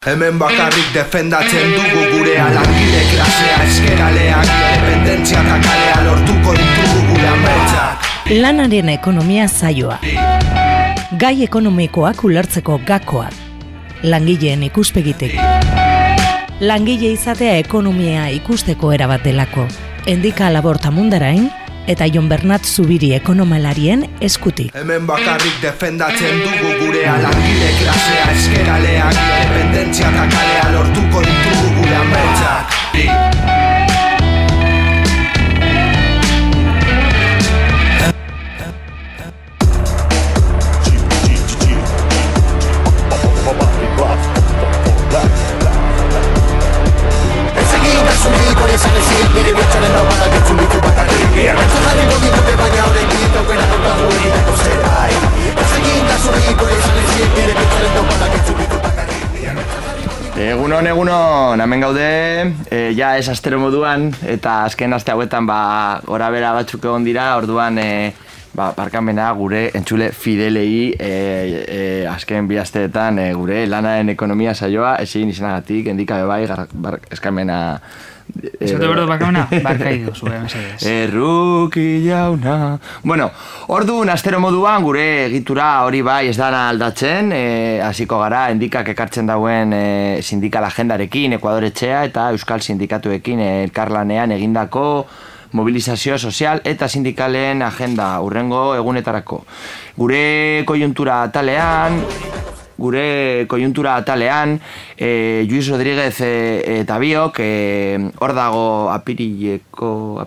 Hemen bakarrik defendatzen dugu gurea, langile klasea, eskeraleak, independentzia eta kalea lortuko ditugu gure ametsak. Lanaren ekonomia saioa. Gai ekonomikoak ulertzeko gakoak. Langileen ikuspegitik. Langile izatea ekonomia ikusteko erabat delako. Endika Laborta Mundarain eta Jon Bernat Zubiri ekonomalarien eskutik. Hemen bakarrik defendatzen dugu gurea, langile klasea, eskeraleak, independentzia eta kalea lortuko ditugu gure ametsak. Egunon, hemen gaude, ja ez astero moduan, eta azken aste hauetan gora bera batzuk egon dira, orduan barkamena gure entzule fidelei azken bi asteetan gure lanaren ekonomia saioa ezin izanagatik, endikabe bai, eskamena. Eskote berdo bakamena, barkaidu zure, mesedez. Erruki jauna. Bueno, orduan astero moduan gure egitura hori bai ez dana aldatzen, hasiko gara endikak ekartzen dauen sindikal agendarekin, Ekuador Etxea eta Euskal Sindikatuekin elkarlanean egindako mobilizazio sozial eta sindikalen agenda hurrengo egunetarako. Gure koiuntura atalean, Luis Rodríguez eta biok, hor dago apirieko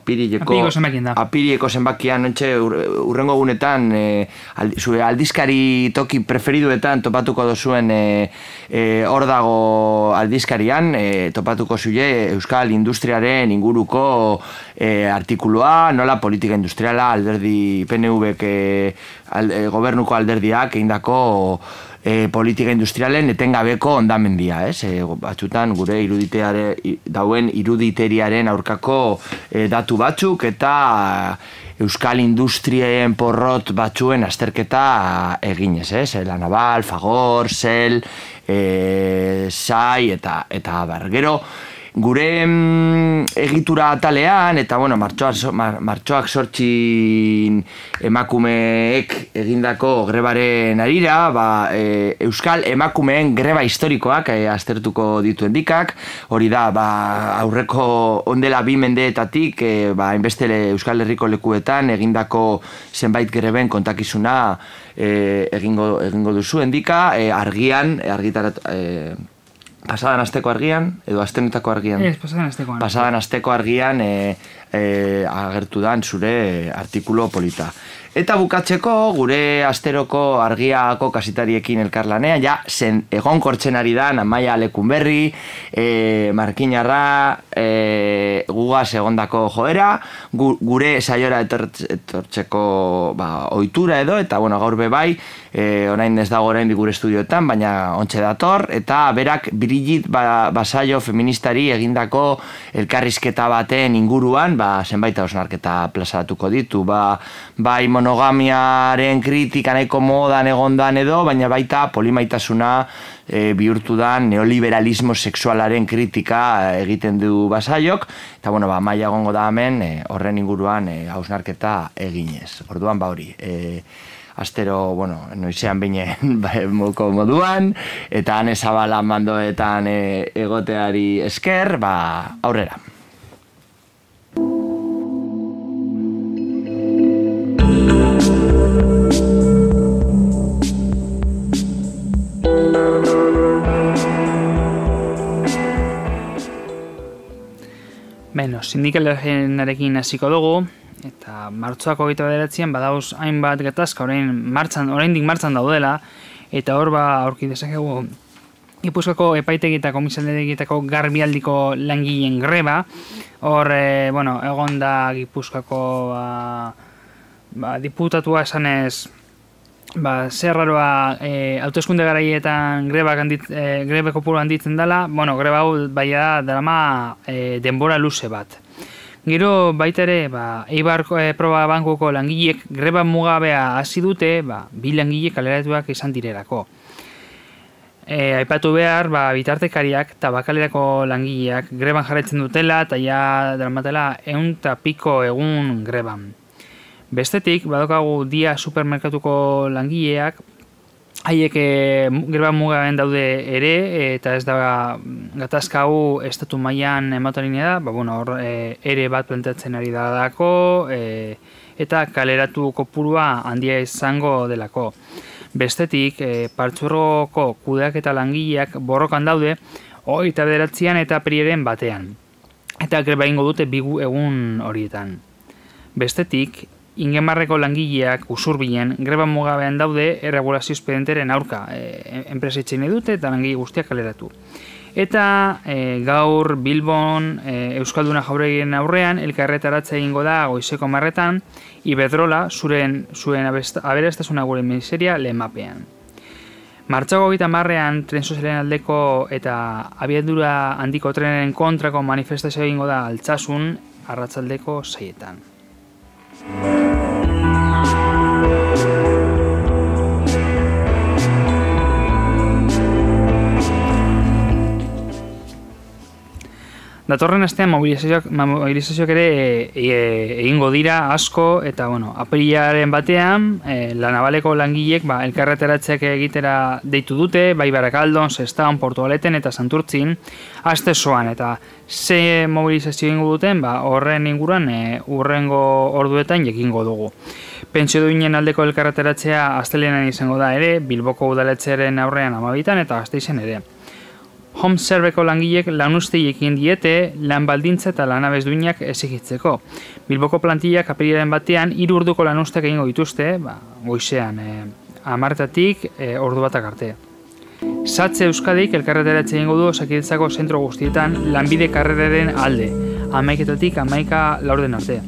zenbakian, hurrengo egunetan, zure aldizkari toki preferiduetan topatuko dozuen hor dago aldizkarian, topatuko zule Euskal Industriaren inguruko artikulua, nola politika industriala, alderdi PNV gobernuko alderdiak egindako politika industrialen etengabeko ondamendia, batzutan gure dauen iruditeriaren aurkako datu batzuk eta Euskal Industrien porrot batzuen azterketa eginez, La Naval, Fagor, Shell, SAI eta abar. Gero, gure egitura atalean, eta martxoak 8 emakumeek egindako grebaren arira, Euskal emakumeen greba historikoak aztertuko ditu endikak, hori da, aurreko ondela 2 mendeetatik, hainbeste Euskal Herriko lekuetan egindako zenbait greben kontakizuna egingo duzu endika, pasadan asteko argian, edo astenetako argian? Pasadan asteko argian agertu dan zure artikulu polita. Eta bukatzeko, gure asteroko argiako kasitariekin elkarlanean, zen egonkortzen ari da, Amaia Lekunberri, Markinarra, gugaz egondako joera, gure saiora etortzeko ohitura edo, eta gaur bebai, orain ez dago orain gure estudioetan, baina ontxe dator, eta berak Brigitte Basaio feministari egindako elkarrizketa baten inguruan, zenbait hausnarketa plazaratuko ditu, bai monogamiaren kritika nahiko modan egondan edo, baina baita polimaitasuna bihurtu da neoliberalismo sexualaren kritika egiten du Basaiok, eta maila egongo da hemen horren inguruan hausnarketa eginez. Orduan hori, astero, noizean binen moko moduan, eta han ezabala mandoetan egoteari esker, aurrera. Sindikalenarekin hasiko dugu, eta martxoak 29an badauz hainbat gatazka oraindik martxan daudela, eta hor aurki dezakegu Gipuzkoako epaitegi eta komisaldegietako garbialdiko langileen greba. Hor, egon da Gipuzkoako diputatua esanez zerraroa hauteskunde garaietan grebe kopuru handitzen dela, greba hau baia drama denbora luze bat. Gero baita ere, Eibar proba bankuko langileek greba mugabea hasi dute, 2 langile kaleratuak izan direlako. aipatu behar, bitartekariak eta bakalerako langileak greban jarraitzen dutela eta ja dramatela 100 piko egun greban. Bestetik, badokagu dia supermerkatuko langileak, haiek greba mugaben daude ere, eta ez da gatazka hau estatu mailan ematen da, hor ere bat planteatzen ari dalako, eta kaleratu kopurua handia izango delako. Bestetik, partzuergoko kudeak eta langileak borrokan daude, 29an eta apiriaren batean. Eta greba ingo dute 2 egun horietan. Bestetik, Ingemarreko langileak Usurbilen greba mugabean daude erregulazio espedienteren aurka. Enpresa itxein dute eta langile guztiak kaleratu. Eta gaur Bilbon Euskalduna Jauregien aurrean elkarretaratzea egingo da goizeko 10:00 Iberdrola zuen aberastasuna gure miseria lemapean. Martxoko 30an tren sozialen aldeko eta abiadura handiko trenaren kontrako manifestazioa egingo da Altsasun arratsaldeko 6:00. Datorren astean mobilizazioak ere egingo dira asko eta apirilaren batean La Navaleko langileek elkarreteratzeak egitera deitu dute, bai Barakaldon, Sestaon, Portugaleten eta Santurtzin aste osoan eta ze mobilizazio egingo duten horren inguruan hurrengo orduetan jakingo dugu. Pentsioduinen aldeko elkarreteratzea astelehenean izango da ere, Bilboko udaletxearen aurrean 12 eta Gasteizen ere. Home Serveko langilek lanustei ekin diete lan baldintza eta lanabez duinak exigitzeko. Bilboko plantillak apirilaren batean 3 orduko lanustak egingo dituzte, goizean 10:00 ordu batak arte. Satze Euskadik elkarreteratze egingo du Osakidetzako zentro guztietan lanbide karreraren alde, 11:00 11:00 arte.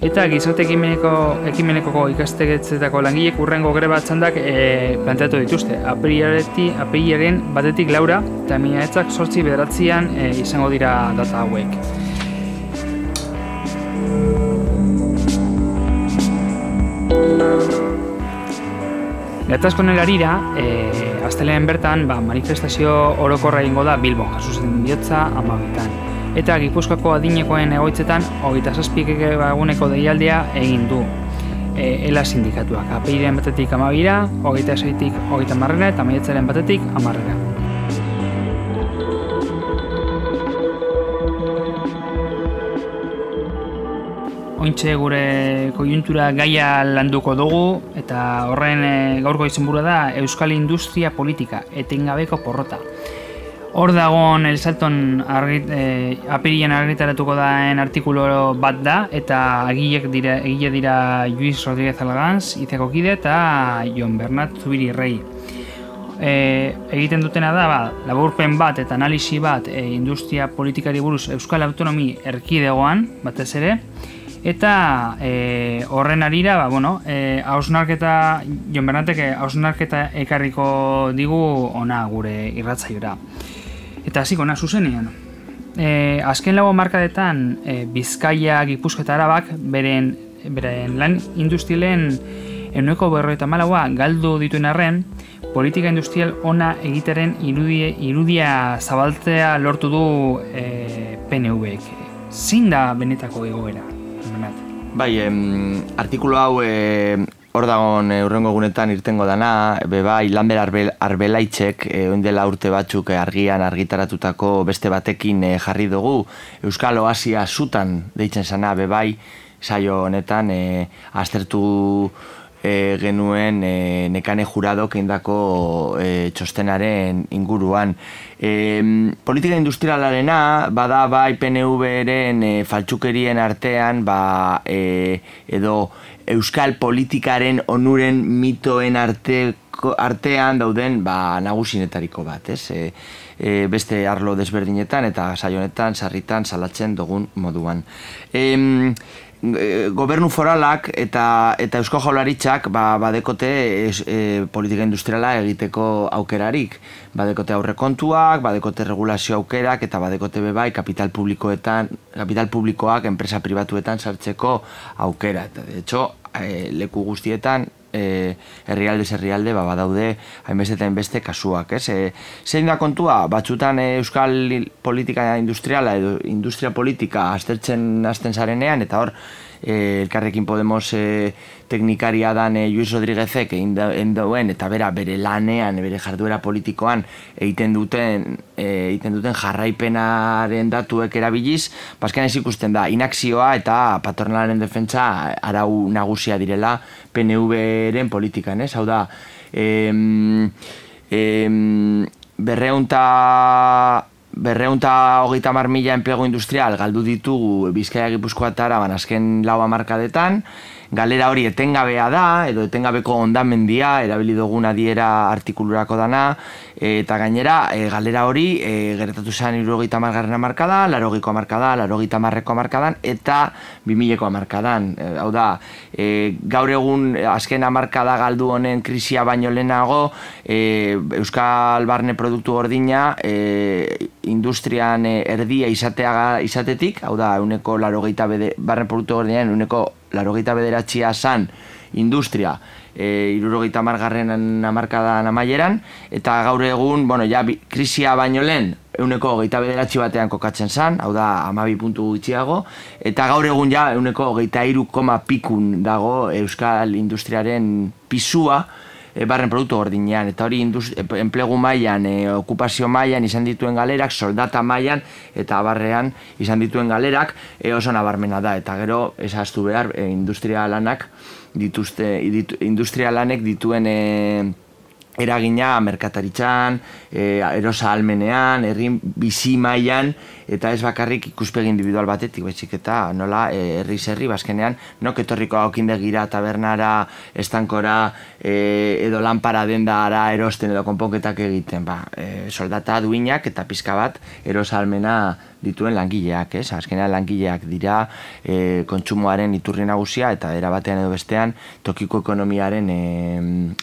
Eta gizarte ekimenekoko ikastetxeetako langilek hurrengo greba txandak planteatu dituzte. Apirilaren 1 Laura eta Maiatzak 8-9 izango dira data hauek. Gatazkoen harira, astelehenean bertan manifestazio orokorra egingo da Bilbon, Jesusen bihotza 12. Eta Gipuzkoako adinekoen egoitzetan 27 eguneko deialdia egin du ELA sindikatuak. Apirilaren 1 12, 26 30 eta Maiatzaren 1 10. Ointxe gure koiuntura gaia landuko dugu eta horren gaurko izenburua da Euskal Industria Politika, etengabeko porrota. Hor dagoen El Salton apirilean argitaratuko daen artikulu bat da eta egile dira Luis Rodríguez Alganz, Izeko Kide eta Jon Bernat Zubiri Rei. Egiten dutena da laburpen bat eta analisi bat industria politikari buruz Euskal Autonomi Erkidegoan batez ere. Eta horren arira, hausnarketa, Jon Bernatek hausnarketa ekarriko digu ona gure irratzaiora. Eta hasiko na zuzenean. Azken 4 hamarkadetan Bizkaia, Gipuzkoa eta Arabak beren lan industrialen 94% galdu dituen arren, politika industrial ona egitaren irudia zabaltzea lortu du PNV-ek. Zein da benetako egoera? Bai, artikulu hau hor dagoen hurrengo egunetan irtengo dana, bai Lanber Arbelaitzek oindela urte batzuk argian argitaratutako beste batekin jarri dugu Euskal Oasia zutan deitzen zana, bai saio honetan aztertu genuen Nekane Juradok egindako txostenaren inguruan. Politika industrialarena bada bai PNV-ren faltsukerien artean edo euskal politikaren onuren mitoen artean dauden nagusinetariko bat, beste arlo desberdinetan eta saio honetan sarritan salatzen dugun moduan. Gobernu foralak eta Eusko Jaurlaritzak badekote politika industriala egiteko aukerarik. Badekote aurrekontuak, badekote regulazio aukerak eta badekote bebai kapital publikoak enpresa pribatuetan sartzeko aukera. De hecho, leku guztietan herrialde badaude hainbeste eta hainbeste kasuak, ez? Zein da kontua, batzutan euskal politika industriala edo industria politika hasten zarenean, eta hor Elkarrekin Podemos teknikaria dan Luis Rodríguezek egin duen, eta bere lanean, bere jarduera politikoan egiten duten jarraipenaren datuek erabiliz, bazken ez ikusten da inakzioa eta patronalaren defentsa arau nagusia direla PNV-ren politikan, ez? Hau da, 230.000 enplegu industrial galdu ditugu Bizkaia, Gipuzkoa eta Araban azken 4 hamarkadetan. Galera hori etengabea da, edo etengabeko hondamendia, erabili dugun adiera artikulurako dana, eta gainera, galera hori gertatu zen 70. hamarkadan, 80ko hamarkadan, 80ko hamarkadan, eta 2000ko hamarkadan. Hau da, gaur egun azken hamarkada galdu honen krisia baino lehenago, Euskal Barne Produktu Gordina industrian erdia izatetik, hau da, Barne Produktu Gordinaren 89 zan industria 70. hamarkadan amaieran, eta gaur egun, krisia baino lehen 29 batean kokatzen zan, hau da 12 puntu gutxiago, eta gaur egun 23,pikun dago Euskal Industriaren pisua Barren Produktu Gordinean, eta hori enplegu mailan, okupazio mailan izan dituen galerak, soldata mailan eta abarrean izan dituen galerak oso nabarmena da, eta gero ezaztu behar industrialanek dituen eragina merkataritzan, erosa almenean, herri bizi mailan, eta ez bakarrik ikuspegi individual batetik, baizik eta nola herri bazkenean, nok etorriko haukindegira, tabernara, estankora, edo lanpara dendara erosten edo konponketak egiten, soldata duinak eta pizka bat erosa almena dituen langileak, ez? Azkenean langileak dira kontsumoaren iturri nagusia eta era batean edo bestean tokiko ekonomiaren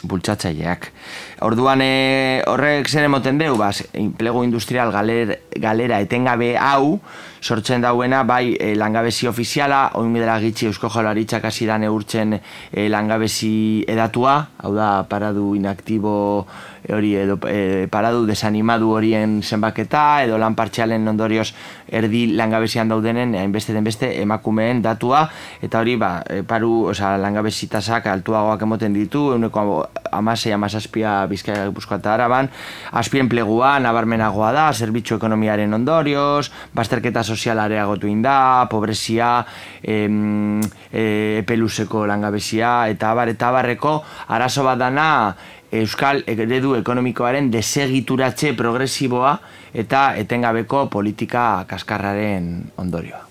bultzatzaileak. Orduan horrek zer emoten deu, enplegu industrial galera etengabe hau sortzen dauena, bai langabezi ofiziala, oin dela gitxi Eusko Jaurlaritzak hasi da neurtzen langabezi edatua, hau da paradu inaktibo hori edo paradu desanimadu horien zenbaketa edo lan partzialen ondorioz erdi langabezian daudenen hainbeste den beste emakumeen datua, eta hori langabezi tasak altuagoak emoten ditu, 16-17 Bizkaia, Gipuzkoa eta Araban, azpienplegua nabarmenagoa da, zerbitzu ekonomiaren ondorioz, bazterketa soziala areagotu inda, pobrezia, epeluzeko langabezia, eta abarreko arazo bat dana Euskal eredu ekonomikoaren desegituratze progresiboa eta etengabeko politika kaskarraren ondorioa.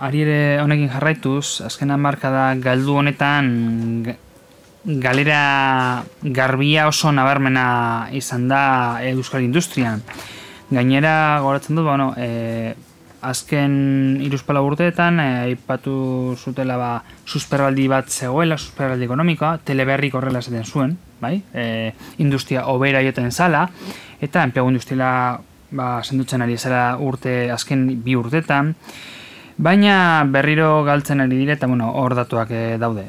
Ari ere honekin jarraituz, azken hamarkada galdu honetan galera garbia oso nabarmena izan da Euskal Industrian. Gainera, goratzen dut, azken 3-4 urteetan aipatu zutela susperraldi bat zegoela, susperraldi ekonomikoa, Teleberrik horrela esaten zuen, industria hobera joten zala, eta enplegu industriala sendotzen ari zela azken 2 urteetan, baina berriro galtzen ari dire, eta hor datuak daude,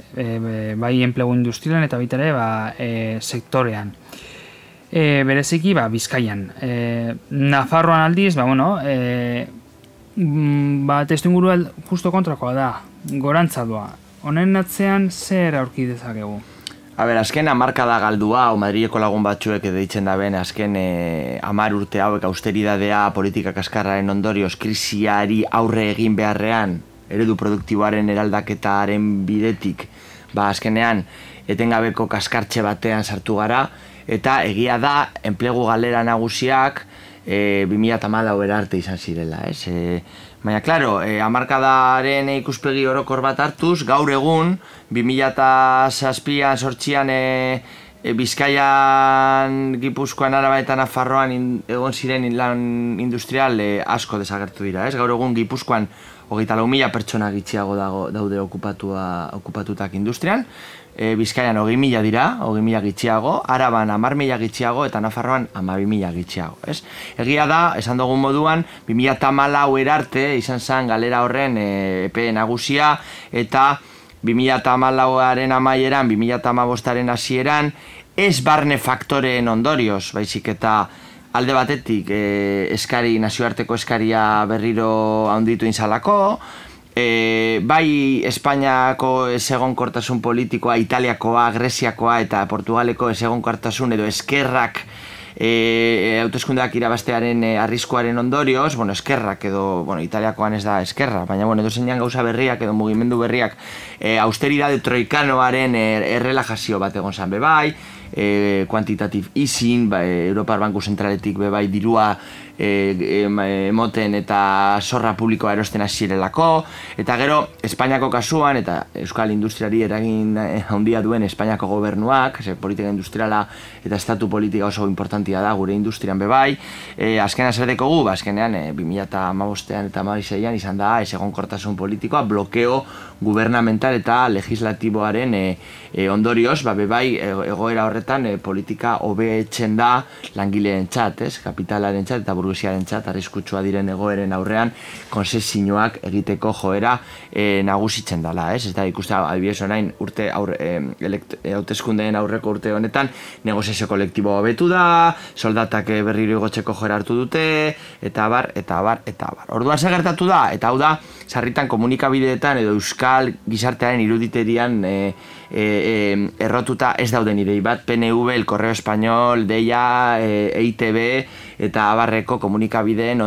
bai enplegu industrialan eta baita ere sektorean. Bereziki Bizkaian. Nafarroan aldiz, testuingurua justo kontrakoa da, gorantza doa. Honen atzean zer aurki dezakegu? Azken hamarkada galdua, Madrileko lagun batzuek deitzen da ben, azken 10 urte hauek austeridadea, politika kaskarraren ondorioz, krisiari aurre egin beharrean, eredu produktiboaren eraldaketaren bidetik, azkenean etengabeko kaskartxe batean sartu gara, eta egia da, enplegu galera nagusiak 2014 arte izan zirela, ez? Baina, klaro, hamarkadaren ikuspegi orokor bat hartuz, gaur egun, 2007an sortzian Bizkaian, Gipuzkoan, Araba eta Nafarroan egon ziren lan industrial asko desagertu dira, ez? Gaur egun Gipuzkoan 24.000 pertsona gitxiago daude okupatutak industrian, Bizkaian 20.000 dira, 20.000 gitxiago, Araban 10.000 gitxiago eta Nafarroan 12.000 gitxiago. Egia da, esan dugun moduan, 2014 erarte izan zen galera horren epe nagusia eta 2014aren amaieran, 2015aren hasieran, ez barne faktoreen ondorioz, baizik eta alde batetik nazioarteko eskaria berriro handitu inzalako, bai Espainiako ezegonkortasun politikoa, Italiakoa, Greziakoa eta Portugaleko ezegonkortasun edo eskerrak hauteskundeak irabastearen arriskuaren ondorioz, eskerrak edo, Italiakoan ez da eskerra, baina edo zeinan gauza berriak edo mugimendu berriak austeridade troikanoaren errelajazio bat egon zan bebai, quantitative easing, Europar Banku Zentraletik bebai dirua emoten eta zorra publikoa erosten hasierelako, eta gero Espainiako kasuan eta Euskal Industriari eragin handia duen Espainiako gobernuak, politika industriala eta estatu politika oso importantia da gure industrian bebai, azkenean zer dekogu, azkenean 2015an eta 2016an izan da ezegonkortasun politikoa, blokeo gubernamental eta legislatiboaren ondorioz, bebai egoera horretan politika hobetzen da langileentzat, kapitalaren txat eta burguesiaren txat, arriskutsua diren egoeren aurrean konzesioak egiteko joera nagusitzen dela, ez da ikuste adibidez orain urte hauteskundeen aurreko urte honetan negoziazio kolektibo hobetu da, soldatak berriro igotzeko joera hartu dute, eta abar. Orduan zer gertatu da, eta hau da, sarritan komunikabideetan edo euskal gizartearen iruditerian errotuta ez dauden idei bat, PNV, El Correo Español, Deia, EITB eta abarreko komunikabideen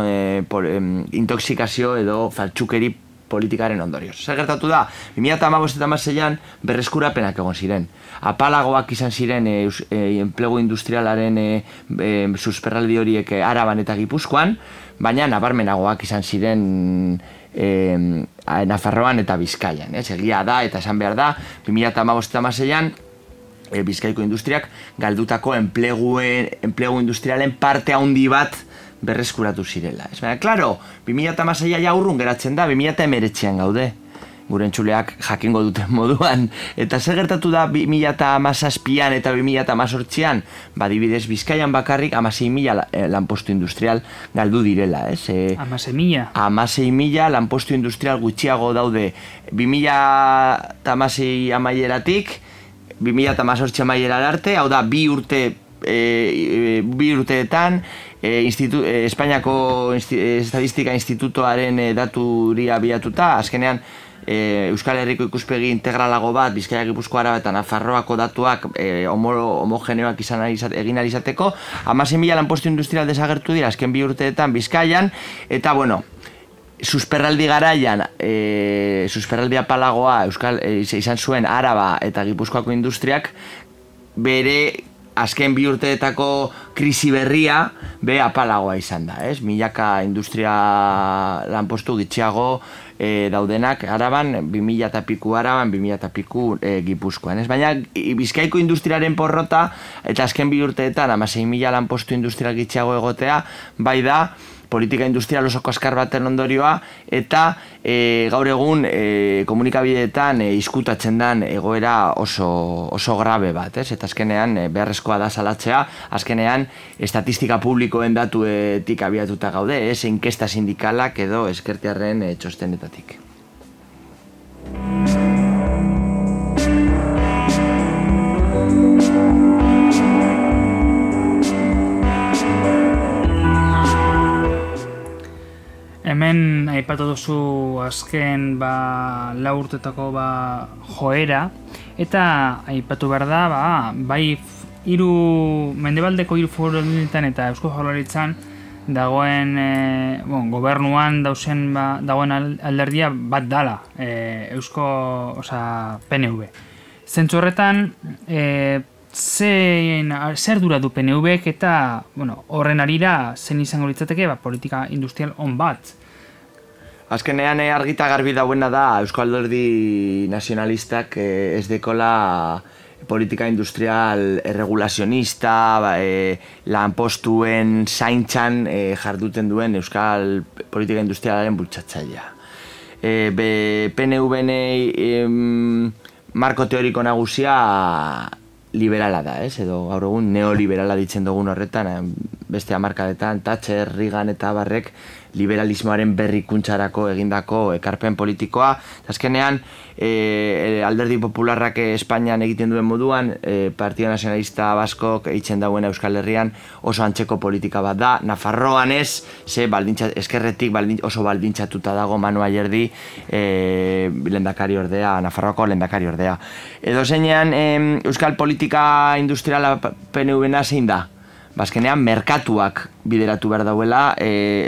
intoxikazio edo faltsukeri politikaren ondorioz. Zer gertatu da, 2015 eta 2016an berreskurapenak egon ziren. Apalagoak izan ziren enplegu industrialaren susperraldi horiek Araban eta Gipuzkoan, baina nabarmenagoak izan ziren Nafarroan eta Bizkaian. Egia da eta esan behar da, 2015 eta 2016an Bizkaiko industriak galdutako enplegu industrialen parte handi bat berreskuratu zirela. Baina, klaro, 2016a ja urrun geratzen da, 2019an gaude, gure entzuleak jakingo duten moduan. Eta zer gertatu da 2017an eta 2018an? Adibidez, Bizkaian bakarrik 16.000 lanpostu industrial galdu direla. 16.000? 16.000 lanpostu industrial gutxiago daude 2016 amaieratik, 2018 amaierara arte, hau da, bi urteetan, Espainiako Estatistika Institutoaren daturia abiatuta, azkenean Euskal Herriko ikuspegi integralago bat, Bizkaia, Gipuzkoa, Araba eta Nafarroako datuak homogeneoak egin ahal izateko, 16.000 lanpostu industrial desagertu dira azken bi urteetan Bizkaian, eta susperraldi garaian, susperraldi apalagoa izan zuen Araba eta Gipuzkoako industriak, bere azken bi urteetako krisi berria apalagoa izan da, milaka industria lanpostu gitxiago daudenak Araban, 2000 eta piku Araban, 2000 eta piku Gipuzkoan. Baina Bizkaiko industriaren porrota eta azken bi urteetan 16.000 lanpostu industrial gitxiago egotea, bai da politika industrial oso kaskar baten ondorioa, eta gaur egun komunikabideetan izkutatzen den egoera oso grabe bat, eta azkenean beharrezkoa da salatzea, azkenean estatistika publikoen datuetik abiatuta gaude, inkesta sindikalak edo ezkertiarren txostenetatik. Hemen aipatu duzu azken lau urtetako joera, eta aipatu behar da, bai mendebaldeko hiru foru aldunditan eta Eusko Jaurlaritzan dagoen gobernuan dagoen alderdia bat dala, PNV. Zentzu horretan, zer dura du PNVek eta horren arira zen izango litzateke politika industrial on bat? Azkenean argita garbi dauena da Euskal Alderdi Nazionalistak ez dekola politika industrial erregulazionista, lanpostuen zaintzan jarduten duen Euskal politika industrialaren bultzatzailea. PNV-en marko teoriko nagusia liberala da, edo gaur egun neoliberala ditzen dugun horretan, beste hamarkadetan, Thatcher, Reagan eta barrek liberalismoaren berrikuntzarako egindako ekarpen politikoa. Azkenean, alderdi popularrak Espainian egiten duen moduan, Partido Nacionalista Baskok eitzen dauen Euskal Herrian oso antzeko politika bat da. Nafarroan ez, eskerretik oso baldintzatuta dago Manu Ayerdi lehendakari ordea, Nafarroako lehendakari ordea. Edo zeinean, Euskal politika industriala PNV-na zein da? Bazkenean, merkatuak bideratu behar dauela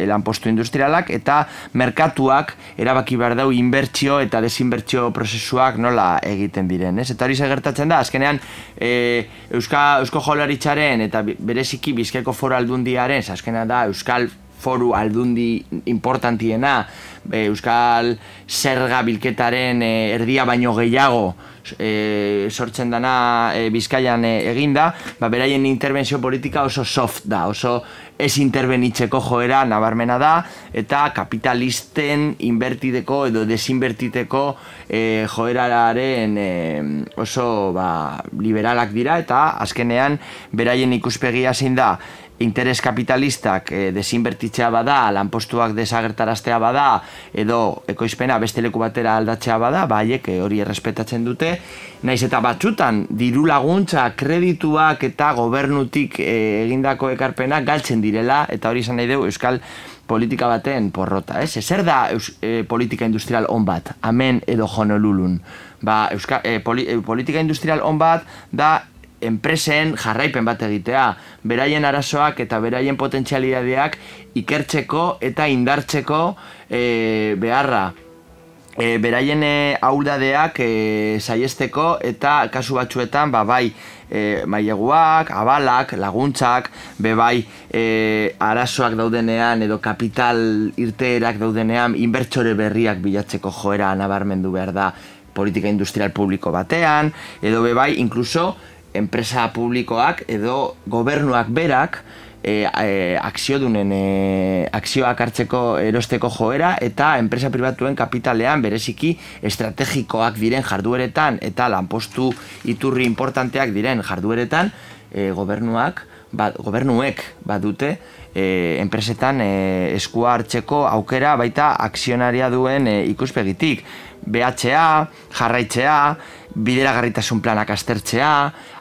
lanpostu industrialak eta merkatuak erabaki behar dau inbertsio eta desinbertsio prozesuak nola egiten diren. Eta hori gertatzen da, azkenean Eusko Jaurlaritzaren eta bereziki Bizkaiko Foru Aldundiaren, azkenean da Euskal Foru Aldundi importantiena, Euskal Zerga bilketaren erdia baino gehiago sortzen dana Bizkaian eginda, beraien interbentzio politika oso soft da, oso ez interbenitzeko joera nabarmena da, eta kapitalisten inbertiteko edo desinbertiteko joeraren oso liberalak dira, eta azkenean beraien ikuspegia zein da, interes kapitalistak desinbertitzea bada, lanpostuak desagertaraztea bada, edo ekoizpena beste leku batera aldatzea bada, haiek hori errespetatzen dute, naiz eta batzutan diru laguntza, kredituak eta gobernutik egindako ekarpenak galtzen direla, eta hori izan nahi dugu Euskal politika baten porrota. Zer da politika industrial on bat, hemen edo Honolulun? Politika industrial on bat da enpresen jarraipen bat egitea, beraien arazoak eta beraien potentzialidadeak ikertzeko eta indartzeko beharra. Beraien ahuldadeak saiesteko eta kasu batzuetan bai maileguak, abalak, laguntzak, bai arazoak daudenean edo kapital irteerak daudenean inbertsore berriak bilatzeko joera nabarmendu behar da politika industrial publiko batean, edo bai inkluso enpresa publikoak edo gobernuak berak akziodunen akzioak hartzeko erosteko joera eta enpresa pribatuen kapitalean bereziki estrategikoak diren jardueretan eta lanpostu iturri importanteak diren jardueretan gobernuek badute enpresetan eskua hartzeko aukera baita akzionaria duen ikuspegitik. BHA, jarraitzea, bideragarritasun planak aztertzea,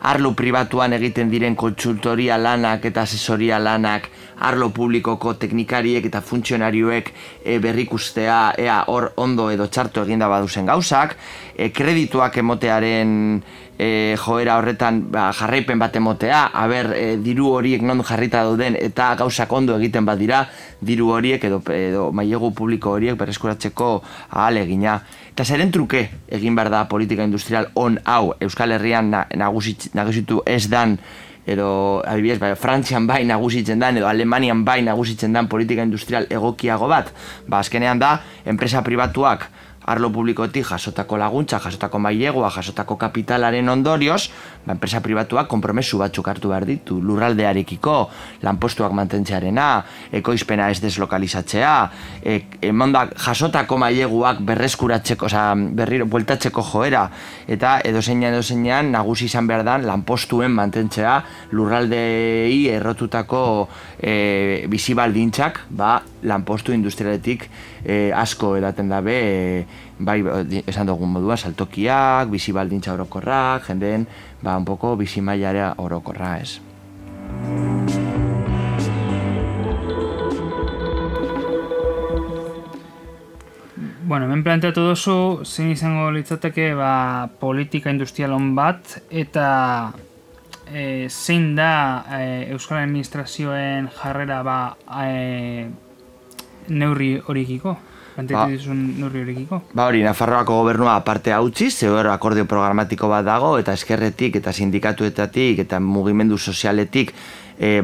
arlo pribatuan egiten diren kontsultoria lanak eta asesoria lanak arlo publikoko teknikariek eta funtzionarioek berrikustea ea hor ondo edo txarto eginda baduzen gauzak, kredituak emotearen joera horretan jarraipen bat emotea, diru horiek non jarrita dauden eta gauzak ondo egiten badira, diru horiek edo mailegu publiko horiek berreskuratzeko ahalegina. Eta zeren truke egin behar da politika industrial on hau Euskal Herrian nagusitu ez dan, edo adibidez, Frantzian bai nagusitzen dan, edo Alemanian bai nagusitzen dan politika industrial egokiago bat, azkenean da, enpresa pribatuak arlo publikotik jasotako laguntza, jasotako mailegua, jasotako kapitalaren ondorioz, enpresa pribatuak konpromesu batzuk hartu behar ditu, lurraldearekiko, lanpostuak mantentzearena, ekoizpena ez deslokalizatzea, jasotako maileguak berreskuratzeko, berriro bueltatzeko joera, eta edozeinan nagusi izan behar dan lanpostuen mantentzea lurraldei errotutako bizibaldintzak, lanpostu industrialetik asko edaten dabe, bai, esan dugun moduan, saltokiak, bizibaldintza orokorrak, jendeen, un poco bizimailara orokorra, ez. Bueno, hemen planteatu duzu, zein izango litzateke politika industrial on bat, eta zein da Euskal Administrazioen jarrera neurri horiekiko? Neurri horiekiko? Hori, Nafarroako gobernua aparte hautzi, zehor akordio programatiko bat dago, eta eskerretik, eta sindikatuetatik, eta mugimendu sozialetik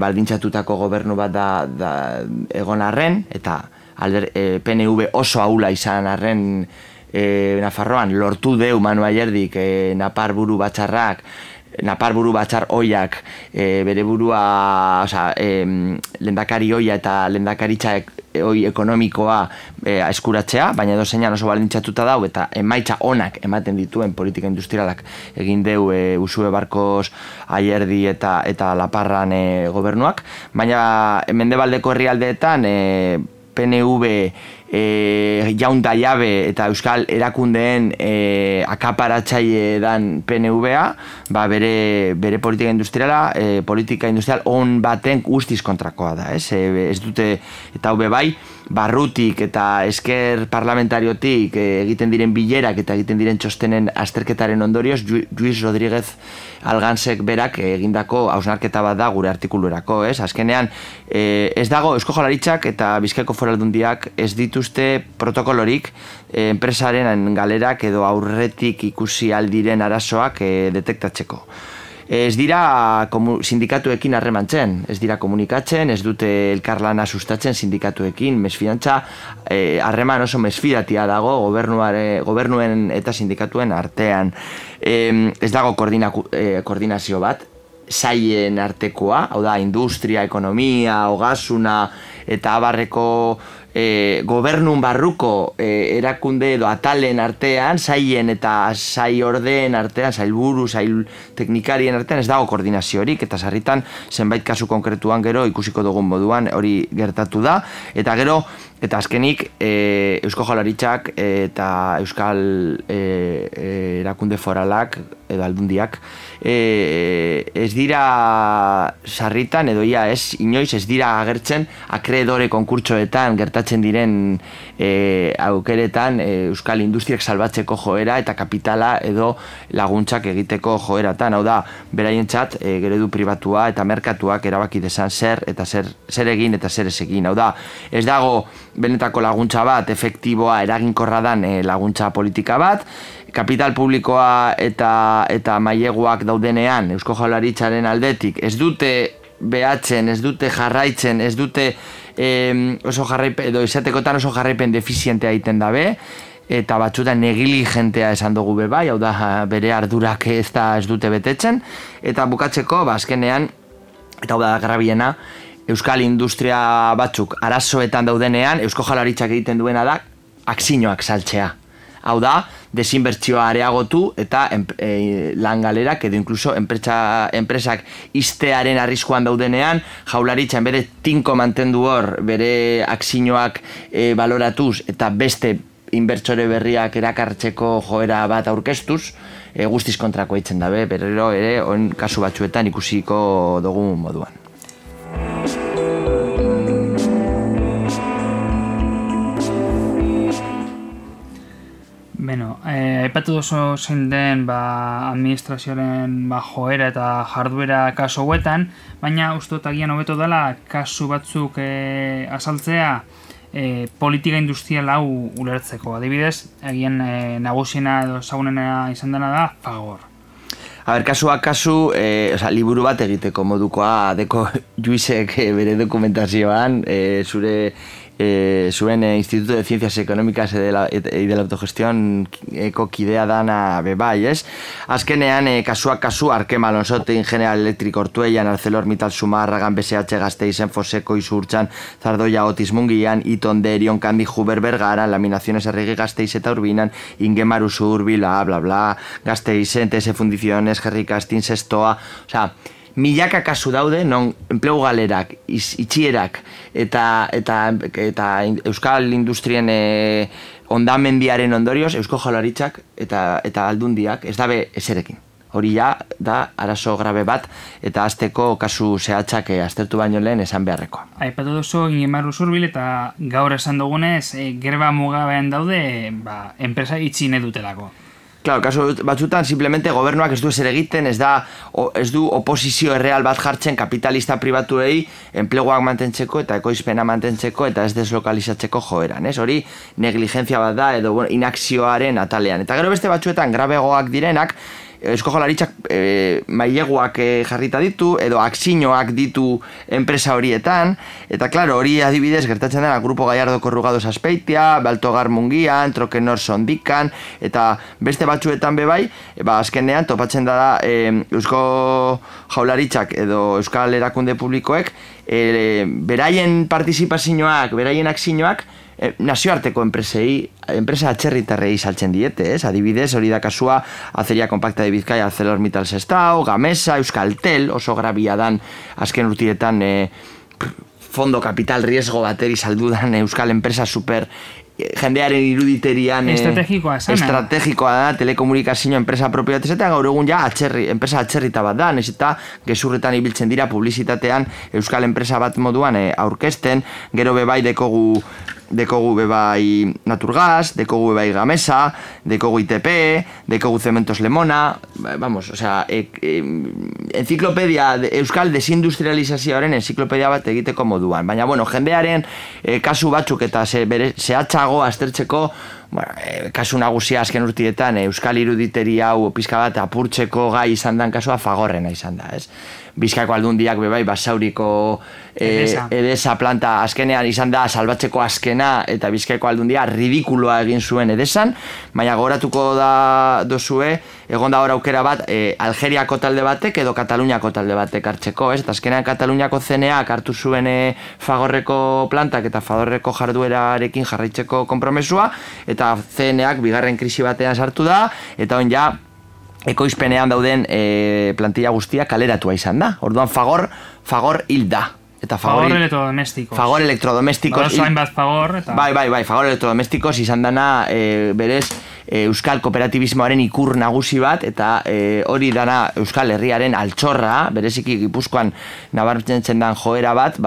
baldintzatutako gobernu bat da egon arren, eta PNV oso ahula izan arren Nafarroan, lortu deu Manu Ayerdik Napar buru batzar oiak bere burua, lehendakari oia eta lehendakaritza ekonomikoa eskuratzea, baina edozeinan oso balintzatuta dau eta emaitza onak ematen dituen politika industrialak egin deu Usue Barkos, Ayerdi eta Laparran gobernuak, baina mendebaldeko herrialdeetan PNV jaunda jabe eta euskal erakundeen akaparatzaile dan PNV-a, bere politika industrial on baten guztiz kontrakoa da, ez dute, eta hau bai, barrutik eta esker parlamentariotik egiten diren bilerak eta egiten diren txostenen azterketaren ondorioz, Luis Rodríguez Algansek berak egindako hausnarketa bat da gure artikuluerako, ez? Azkenean, ez dago Eusko Jaurlaritzak eta Bizkaiko Foru Aldundiak ez dituzte protokolorik enpresaren galerak edo aurretik ikusi aldiren arazoak detektatzeko. Ez dira sindikatuekin harremantzen, ez dira komunikatzen, ez dute elkarlana sustatzen sindikatuekin, mesfidantza harreman oso mesfidatia dago gobernuen eta sindikatuen artean. Ez dago koordinazio bat, sailen artekoa, hau da, industria, ekonomia, ogasuna eta abarreko gobernun barruko erakunde edo atalen artean, sailen eta sai ordeen artean, sailburu, sail teknikarien artean ez dago koordinaziorik, eta sarritan zenbait kasu konkretuan gero ikusiko dugun moduan hori gertatu da, eta gero eta azkenik Eusko Jaurlaritzak eta Euskal erakunde foralak edo aldundiak ez dira sarritan edo inoiz ez dira agertzen akreedore konkurtsoetan gertatzen diren aukeretan Euskal industriak salbatzeko joera eta kapitala edo laguntzak egiteko joeratan, hau da, beraientzat geredu pribatua eta merkatuak erabaki dezan zer egin eta zer ez egin, hau da, ez dago benetako laguntza bat, efektiboa, eraginkorra dan laguntza politika bat, kapital publikoa eta maileguak daudenean Eusko Jaurlaritzaren aldetik ez dute behatzen, ez dute jarraitzen, ez dute oso jarraipen, edo izatekotan oso jarraipen defizientea egiten dabe, eta batzutan negiligentea esan dugu bai, hau da bere ardurak ez dute betetzen, eta bukatzeko, azkenean, eta hau da grabiena, Euskal industria batzuk arazoetan daudenean, Eusko Jaurlaritzak egiten duena da akzioak saltzea. Hau da, desinbertsioa areagotu eta langalerak edo inkluso enpresak iztearen arriskuan daudenean, Jaurlaritzan bere tinko mantendu hor, bere akzioak baloratuz eta beste inbertsore berriak erakartzeko joera bat aurkeztuz, guztiz kontrako eitzen dabe, berriro ere, kasu batzuetan ikusiko dugun moduan. Aipatu duzu zein den administrazioaren joera eta jarduera kasu hauetan, baina uste dut agian hobeto dela kasu batzuk azaltzea politika industrial hau ulertzeko. Adibidez, agian nagusiena edo ezagunena izan dena da Fagor. Kasuak kasu, liburu bat egiteko modukoa deko Juizek bere dokumentazioan, zuen Instituto de Ciencias Económicas y de la Autogestión kidea dana bebai, ez? Azkenean, kasuak kasu, Arkema Alonsote, General Electric Ortuellan, ArcelorMittal Zumarragan, BSH Gasteizen, Foseko Izurtzan, Zardoya Otis Mungian, Iton Derion, Kandi Huber Bergaran, Laminaciones Arregui Gasteiz eta Urbinan, Ingemaru Zurbila, bla bla, Gasteizen, TS Fundiciones, Gerri Kastin, Sestoa, osea, milaka kasu daude, non enplegu galerak, itxierak eta Euskal Industrien ondamendiaren ondorioz, Eusko Jaurlaritzak eta aldundiak ez dabe ezerekin. Hori da arazo grabe bat eta azteko kasu zehatzak aztertu baino lehen esan beharrekoa. Aipatu duzu Ingemaru Zurbil eta gaur esan dugunez, greba mugabean daude enpresa itxi nahi dutelako. Claro, kasu batzutan, simplemente gobernuak ez du ezer egiten, ez du oposizio erreal bat jartzen kapitalista pribatuei enpleguak mantentzeko eta ekoizpena mantentzeko eta ez deslokalizatzeko joeran, ez? Hori negligentzia bat da edo inakzioaren atalean. Eta gero beste batzuetan grabegoak direnak, Eusko Jaurlaritzak maileguak jarrita ditu, edo akzioak ditu enpresa horietan, eta klaro, hori adibidez gertatzen dena Grupo Gallardo Corrugados Azpeitia, Baltogar Mungian, Trokenor Sondikan, eta beste batzuetan bebai, azkenean topatzen da Eusko Jaurlaritzak edo Euskal Erakunde Publikoek beraien partizipazioak, beraien akzioak nazioarteko enpresa atxerritarrei saltzen diete, adibidez, hori da kasua Acería Compacta de Bizkaia, ArcelorMittal Sestao, Gamesa, Euskaltel, oso grabia dan azken urtietan fondo kapital riesgo bateri saldudan euskal enpresa super jendearen iruditerian estrategikoa da, telekomunikazio enpresa propioa eta gaur egun ja enpresa atxerrita bat da, eta gezurretan ibiltzen dira publizitatean euskal enpresa bat moduan aurkezten, gero bebai dekogu bebai Naturgas, dekogu bebai Gamesa, dekogu ITP, dekogu Cementos Lemona, vamos, o sea, enciklopedia, euskal desindustrializazioaren enciklopedia bat egiteko moduan, baina, bueno, jendearen kasu batzuk eta zehatzago aztertzeko, kasu nagusia azken urtietan euskal iruditeri hau pizka bat apurtzeko gai izan dan kasua Fagorrena izan da, ez? Bizkaiko aldundiak bebai Basauriko Edesa planta azkenean izan da salbatzeko azkena eta Bizkaiko aldundia ridikuloa egin zuen Edesan, baina gogoratuko da dozue, egon da hor aukera bat Algeriako talde batek edo Kataluniako talde batek hartzeko, ez? Eta azkenean Kataluniako CNAak hartu zuen Fagorreko plantak eta Fagorreko jarduerarekin jarraitzeko konpromesua, eta CNAak bigarren krisi batean sartu da, eta on ja ekoizpenean dauden plantilla guztia kaleratua izan da. Orduan Fagor hil da. Eta Fagor elektrodomestikos. Fagor elektrodomestikos. Bai, Fagor elektrodomestikos izan dana berez euskal kooperatibismoaren ikur nagusi bat, eta hori dana euskal herriaren altxorra, bereziki Gipuzkoan nabarmentzen dan joera bat,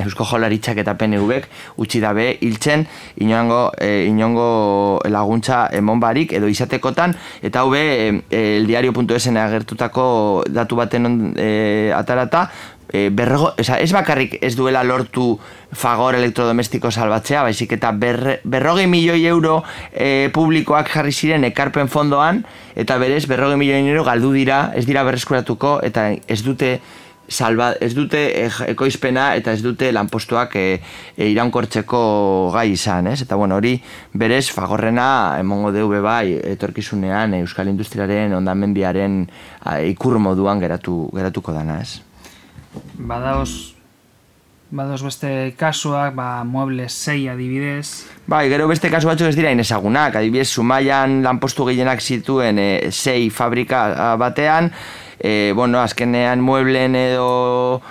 Eusko Jaurlaritzak eta PNVek utzi dabe hiltzen inongo laguntza emon barik edo izatekotan, eta hau eldiario.esen agertutako datu baten atarata, ez bakarrik ez duela lortu Fagor elektrodomestiko salbatzea, baizik eta 40 milioi euro publikoak jarri ziren ekarpen fondoan, eta berez 40 milioi euro galdu dira, ez dira berreskuratuko, eta ez dute ekoizpena eta ez dute lanpostuak iraunkortzeko gai izan, ez? Eta bueno, hori berez Fagorrena emongo deu bebai etorkizunean euskal industriaren hondamendiaren ikur moduan geratuko dana, ez? Badaoz beste kasuak, Muebles 6 adibidez. Bai, gero beste kasu batzuk ez dira inezagunak, adibidez Zumaian lanpostu gehienak zituen 6 fabrika batean, azkenean mueblen edo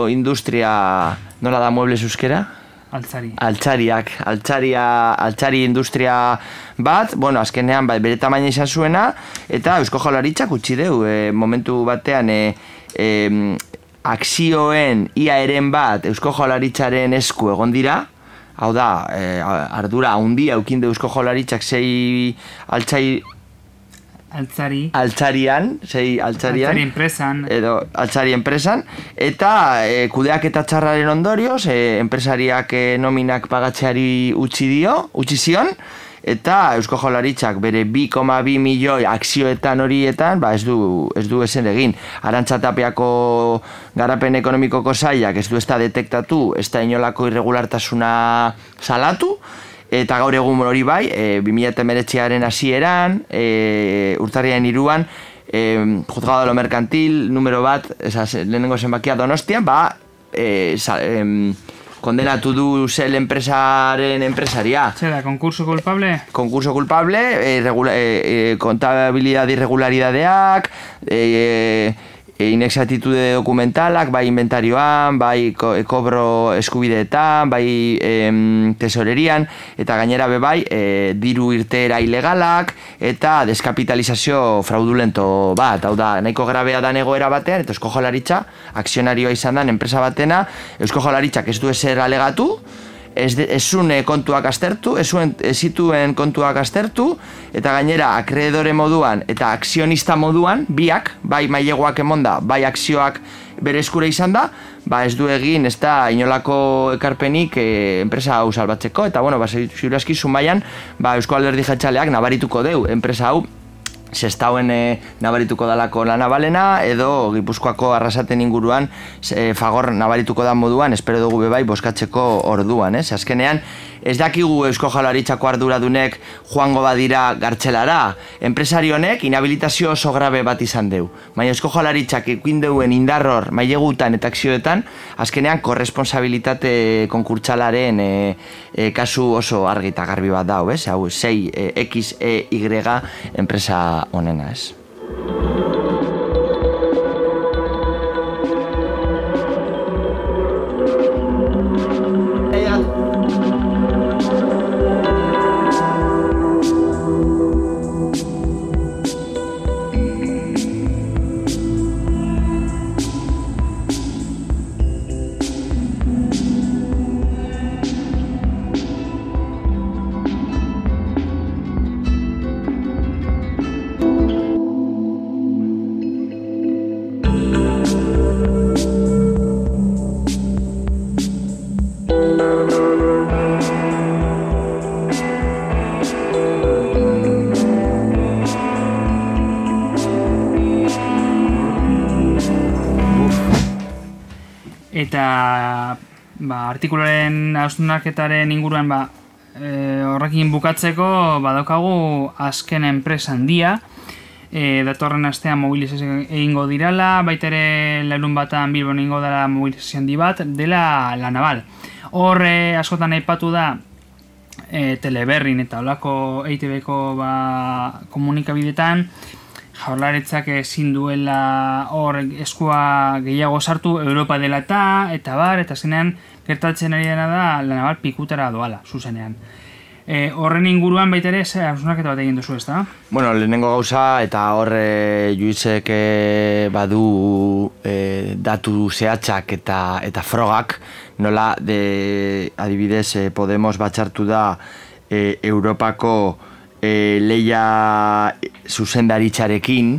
industria, nola da muebles euskera? Altzari industria bat, azkenean bere tamaina izan zuena, eta Eusko Jaurlaritzak utzi deu, momentu batean akzioen iaeren bat Eusko Jaurlaritzaren esku egon dira, hau da, ardura handia eukin du Eusko Jaurlaritzak 6 altzari enpresan eta kudeaketa txarraren ondorioz enpresariak nominak pagatzeari utzi zion, eta Eusko Jaurlaritzak bere 2,2 milioi akzioetan horietan ez du ezen egin. Arantxa Tapiako garapen ekonomikoko sailak ez du ezta detektatu, ez da inolako irregulartasuna salatu, eta gaur egun hori bai, 2019aren hasieran, urtarriaren 3an, Juzgado de lo Mercantil, numero bat, lehenengo zenbakia Donostian, kondenatu du zel enpresaren enpresaria. Zera, konkurso culpable? Konkurso culpable, kontabilidad irregularidadeak, inexactitude dokumentalak, bai inventarioan, bai kobro eskubideetan, bai tesorerian, eta gainera bai diru irteera ilegalak, eta deskapitalizazio fraudulento bat. Hau da, nahiko grabea da egoera batean, eta Eusko Jaurlaritza, akzionarioa izan da, enpresa batena, Eusko Jaurlaritzak ez du ezer alegatu, ez zuen kontuak aztertu, ez zituen kontuak aztertu, eta gainera akreedore moduan eta akzionista moduan, biak, bai maileguak emonda, bai akzioak bere eskura izan da, ez du egin ez da inolako ekarpenik enpresa hau salbatzeko, eta ziur aski Zumaian Eusko Alderdi Jeltzaleak nabarituko deu enpresa hau Sestauen nabarituko dalako La Navalena, edo Gipuzkoako Arrasaten inguruan Fagor nabarituko da moduan, espero dugu bebai boskatzeko orduan, azkenean ez dakigu Eusko Jaurlaritzako arduradunek joango badira gartzelara, enpresari honek inhabilitazio oso grabe bat izan deu, baina Eusko Jaurlaritzak ikuin deuen indarror mailegutan eta akzioetan, azkenean korresponsabilitate konkurtsalaren kasu oso argi eta garbi bat dau, hau 6XEY enpresa honena, ez? Eta artikuluaren hausnarketaren inguruan horrekin bukatzeko badaukagu azken enpresa handia, datorren astean mobilizazio egingo dirala, baita ere larun batan Bilbon egingo dela mobilizazio handi bat, dela La Naval. Hor askotan aipatu da Teleberrin eta olako EITB-ko komunikabidetan, Jaurlaritzak ezin duela hor eskua gehiago sartu Europa dela eta zenean gertatzen ari dena da La Naval pikutara doala, zuzenean. Horren inguruan baita ere, hausnarketa bat egin duzu, ez da? Bueno, lehenengo gauza eta hor Juizek badu datu zehatzak eta frogak, nola adibidez Podemos batxartu da Europako leia zuzendaritzarekin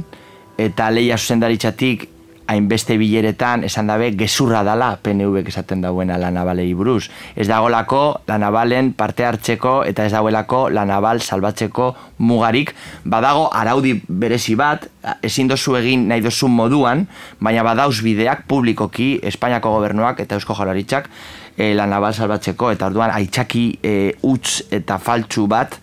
eta leia zuzendaritzatik hainbeste bileretan esan dabe gezurra dala PNV-ek esaten dauena La Navalei buruz. Ez dagolako La Navalen parte hartzeko eta ez dagoelako La Naval salbatzeko mugarik. Badago araudi berezi bat, ezin dozu egin nahi dozun moduan, baina badauz bideak publikoki Espainiako gobernuak eta Eusko Jaurlaritzak La Naval salbatzeko, eta orduan aitzaki huts eta faltsu bat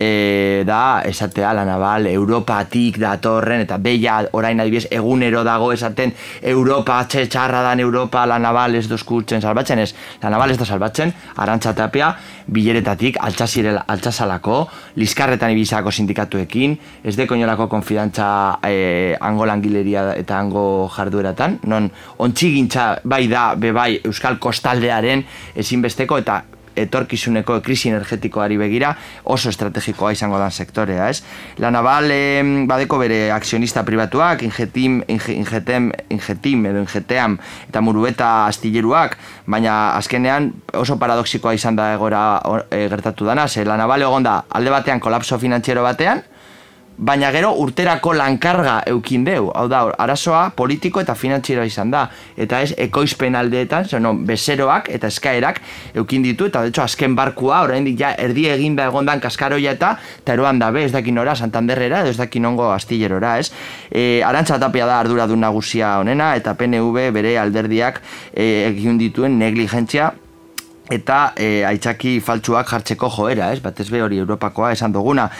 da esatea La Naval Europatik datorren, eta beia orain adibidez egunero dago esaten Europa txarra dan Europa, La Naval ez dozkultzen salbatzen, ez, La Naval ez da salbatzen, Arantxa Tapia bileretatik altxasalako, liskarretan ibizako sindikatuekin, ez deko inolako konfidantza hango langileria eta hango jardueratan, non ontxigintza bai da bebai Euskal Kostaldearen ezinbesteko eta etorkizuneko krisi energetikoari begira oso estrategikoa izango dan sektorea, ez? La Naval badeko bere akzionista pribatuak, Ingetim edo Ingeteam eta Murueta astilleruak, baina azkenean oso paradoxikoa izan da egora gertatu dana, ze La Naval egon da alde batean kolapso finantziero batean, baina gero urterako lankarga eukin deu, hau da, arazoa politiko eta finantzieroa izan da, eta ez ekoizpen aldeetan, bezeroak eta eskaerak eukin ditu, eta de hecho azken barkua, oraindik ja erdi eginda egondan kaskaroia eta eroan dabe, ez dakin ora, Santanderrera, edo ez dakin ongo astillerora, ez? Arantxa Tapia da arduradun nagusia honena, eta PNV bere alderdiak egin dituen negligentzia eta aitzaki faltsuak jartzeko joera, ez? Batez be hori Europakoa esan duguna.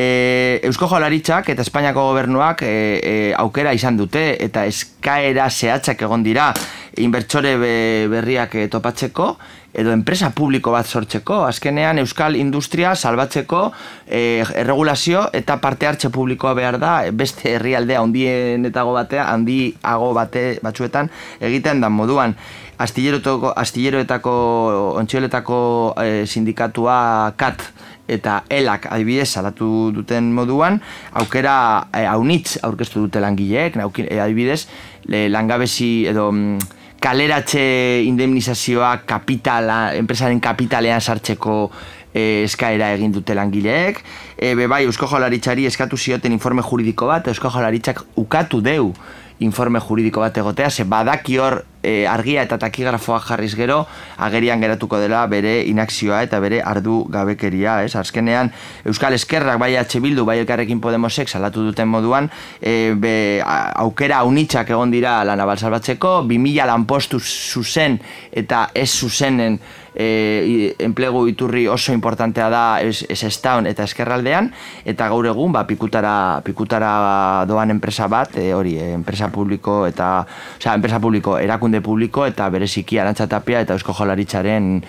Eusko Jaurlaritzak eta Espainiako gobernuak aukera izan dute eta eskaera zehatzak egon dira inbertsore berriak topatzeko edo enpresa publiko bat sortzeko, azkenean euskal industria salbatzeko erregulazio eta parte hartze publikoa behar da beste herrialdea handienetago batean, handiago batzuetan egiten dan moduan. Astilleroetako, ontxioletako sindikatua KAT eta ELAK adibidez salatu duten moduan, aukera haunitz aurkeztu dute langileek, adibidez langabezi edo kaleratze indemnizazioa enpresaren kapitalean sartzeko eskaera egin dute langileek. Bai, Eusko Jaurlaritzari eskatu zioten informe juridiko bat, Eusko Jaurlaritzak ukatu deu informe juridiko bat egotea, ze badaki hor argia eta takigrafoa jarriz gero, agerian geratuko dela bere inakzioa eta bere ardu gabekeria, ez? Azkenean, Euskal Ezkerrak, bai H. Bildu, bai Elkarrekin Podemosek salatu duten moduan, aukera unitzak egon dira la naval salbatzeko, 2000 lanpostu zuzen eta ez zuzenen enplegu iturri oso importantea da Sestaon eta Ezkerraldean, eta gaur egun pikutara doan enpresa bat, enpresa publiko erakunde publiko eta bereziki Arantxa Tapia eta Eusko Jaurlaritzaren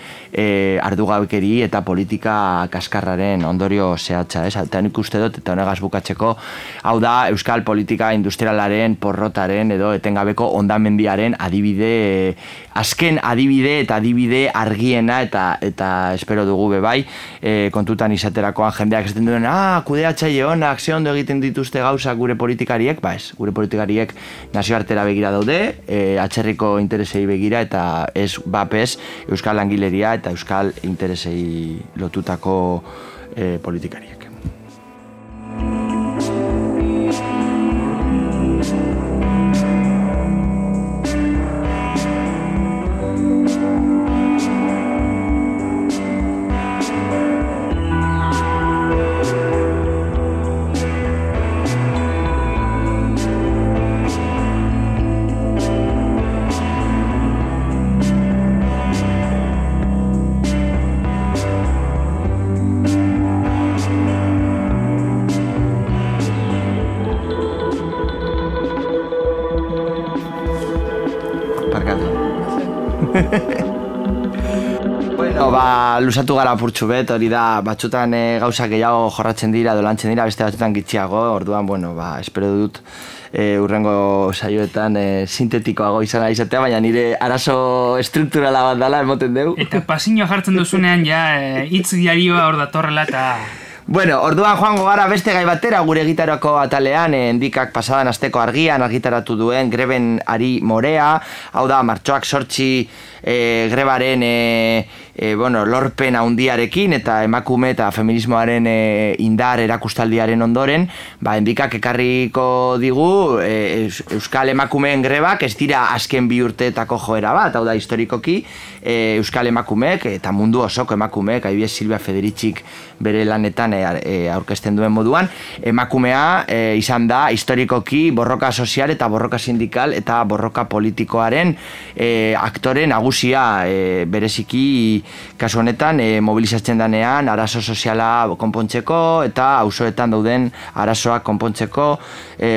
ardugabekeri eta politika kaskarraren ondorio zehatza, ez? Eta nik uste dut, eta honegaz bukatzeko, hau da euskal politika industrialaren, porrotaren edo etengabeko hondamendiaren adibide, azken adibide eta adibide argiena eta espero dugu bebai, kontutan izaterakoan jendeak esaten duen, kudeatzaile honak, ze ondo egiten dituzte gauzak gure politikariek, ez, gure politikariek nazioartera begira daude, atzerriko interesei begira eta ez bapez euskal langileria eta euskal interesei lotutako politikariek. Lusatu gara purtsu bet, hori da, batzutan gauzak gehiago jorratzen dira, dolantzen dira, beste batzutan gitxiago, orduan, espero dut urrengo saioetan sintetikoago izana izatea, baina nire arazo estrukturala bat dela, emoten dugu. Eta pasinioa jartzen duzunean, hitz diarioa hor datorrela eta... Bueno, orduan joango gara beste gai batera gure gitarako atalean, Endikak pasadan asteko argian argitaratu duen greben ari morea, hau da, martxoak 8 grebaren lorpen handiarekin eta emakume eta feminismoaren indar erakustaldiaren ondoren, Endikak ekarriko digu euskal emakumeen grebak ez dira azken 2 urteetako joera bat, hau da, historikoki euskal emakumeek eta mundu osoko emakumeek, adibidez Silvia Federicik bere lanetan aurkezten duen moduan, emakumea izan da historikoki borroka sozial eta borroka sindikal eta borroka politikoaren aktore nagusia, bereziki kasu honetan mobilizatzen danean arazo soziala konpontzeko eta auzoetan dauden arazoak konpontzeko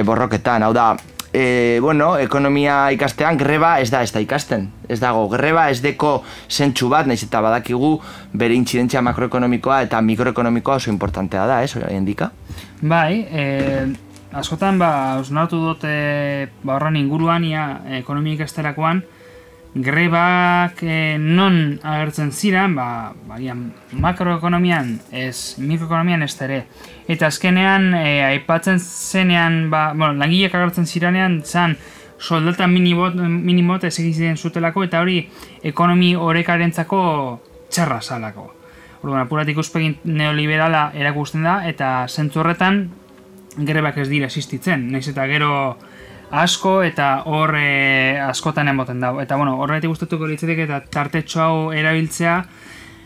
borroketan, hau da, ekonomia ikastean greba ez da ikasten. Ez dago, greba ez deko zentsu bat, nahiz eta badakigu bere intzidentzia makroekonomikoa eta mikroekonomikoa oso importantea da, ez, Endika? Bai, askotan, osnartu dut horren inguruan, ekonomia ikasterakoan, grebak non agertzen ziren, makroekonomian ez, mikroekonomian ez ere. Eta azkenean, aipatzen zenean, langileak agertzen zirenean, zan soldata minimot ez egiten zutelako, eta hori ekonomi horrekarentzako txarra zalako. Orduan, apurat ikuspegin neoliberala erakusten da, eta zentzu horretan grebak ez dira existitzen. Nahiz eta gero asko eta hor askotan emoten dago. Eta horretik gustatuko litzatek eta tartetxo hau erabiltzea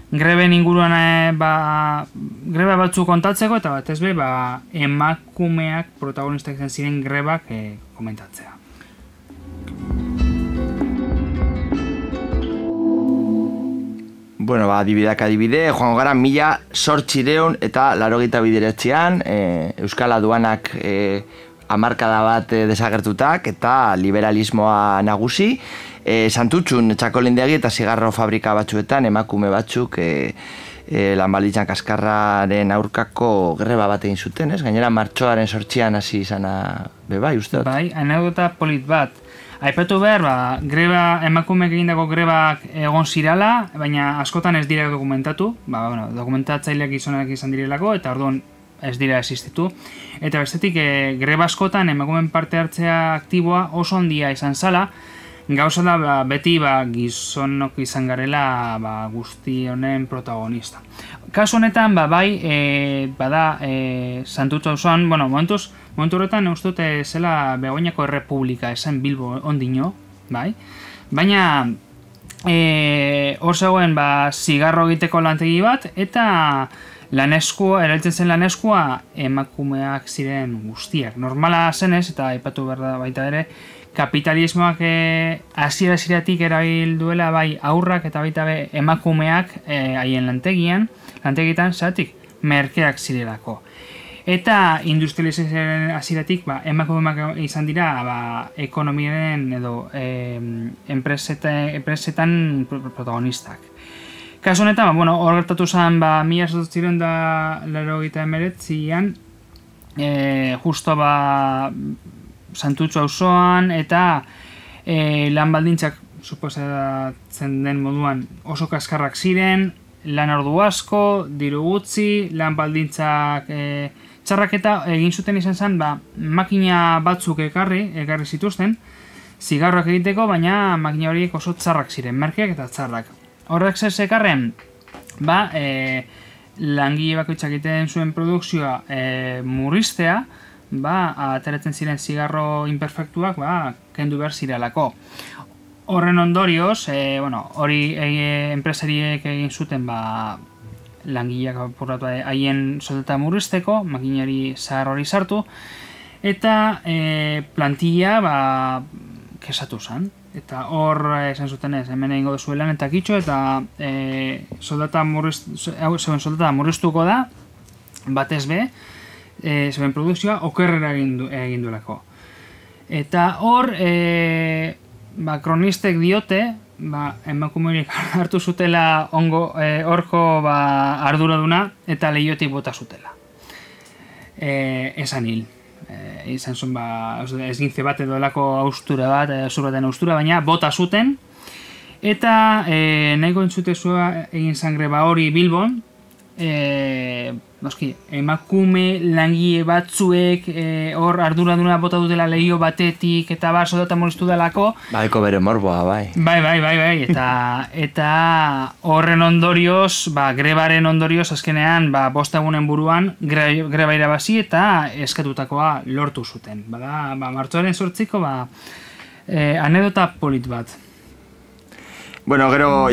greben inguruan greba batzu kontatzeko eta batez be emakumeak protagonistak izan ziren grebak komentatzea. Adibideak adibide, joango gara 1800 eta 89an Euskal Aduanak hamarkada bat desagertutak eta liberalismoa nagusi. Santutxun txakolindegi eta zigarro fabrika batzuetan emakume batzuk lan baldintzak kaskarraren aurkako greba bat egin zuten, ez? Gainera martxoaren 8an hasi izana bebai, uste dut? Bai, anekdota polit bat. Aipatu behar, greba, emakumeek egindako grebak egon zirala, baina askotan ez dira dokumentatu, dokumentatzaileak gizonak izan direlako, eta orduan ez dira existitu. Eta bestetik, greba askotan emakumeen parte hartzea aktiboa oso handia izan zala, gauza da beti gizonok izan garela guzti honen protagonista. Kasu honetan, bada Santutxu auzoan, momentu horretan uste dute zela Begoñako Errepublika esan Bilbo ondino, bai? Baina hor zegoen zigarro egiteko lantegi bat, eta erabiltzen zen laneskua emakumeak ziren guztiak. Normala zenez, eta aipatu behar da baita ere, kapitalismoak hasiera-hasieratik erabil duela bai aurrak eta baita emakumeak haien lantegitan zeratik merkeak zirelako. Eta industrializazioaren hasieratik emakumeak izan dira ekonomiaren edo enpresetan protagonistak. Kasu honetan, hor gertatu zen 1889an, justo Santutxu auzoan, eta lan baldintzak suposatzen den moduan oso kaskarrak ziren, lan ordu asko, diru gutxi, lan baldintzak txarrak, eta egin zuten izan zen makina batzuk ekarri zituzten zigarroak egiteko, baina makina horiek oso txarrak ziren, merkeak eta txarrak. Horrek zer zekarren, langile bakoitzak egiten zuen produkzioa murriztea, ateratzen ziren zigarro imperfektuak kendu behar zirelako. Horren ondorioz, hori enpresariek egin zuten langileak apurratu haien soldata murrizteko, makinari zahar hori sartu, eta plantilla kesatu zen. Eta hor esan zuten ez, hemen egingo duzuelan eta kitxo, eta soldata murriztuko da, batez be, zeben produkzioa okerrera egin duelako. Eta hor, kronistek diote, emakumerik hartu zutela horko arduraduna eta lehiotik bota zutela. Esan hil. Izan zuen ezgintze bat edo elako austura bat, zurbaten austura, baina bota zuten. Eta nahiko entzutezua egin zangreba hori Bilbon, emakume langile batzuek hor arduraduna bota dutela lehio batetik eta soldata murriztu delako. Eko bere morboa, bai. Bai. Eta horren ondorioz, grebaren ondorioz azkenean 5 egunen buruan greba irabazi eta eskatutakoa lortu zuten. Martxoaren 8ko anedota polit bat. Bueno, gero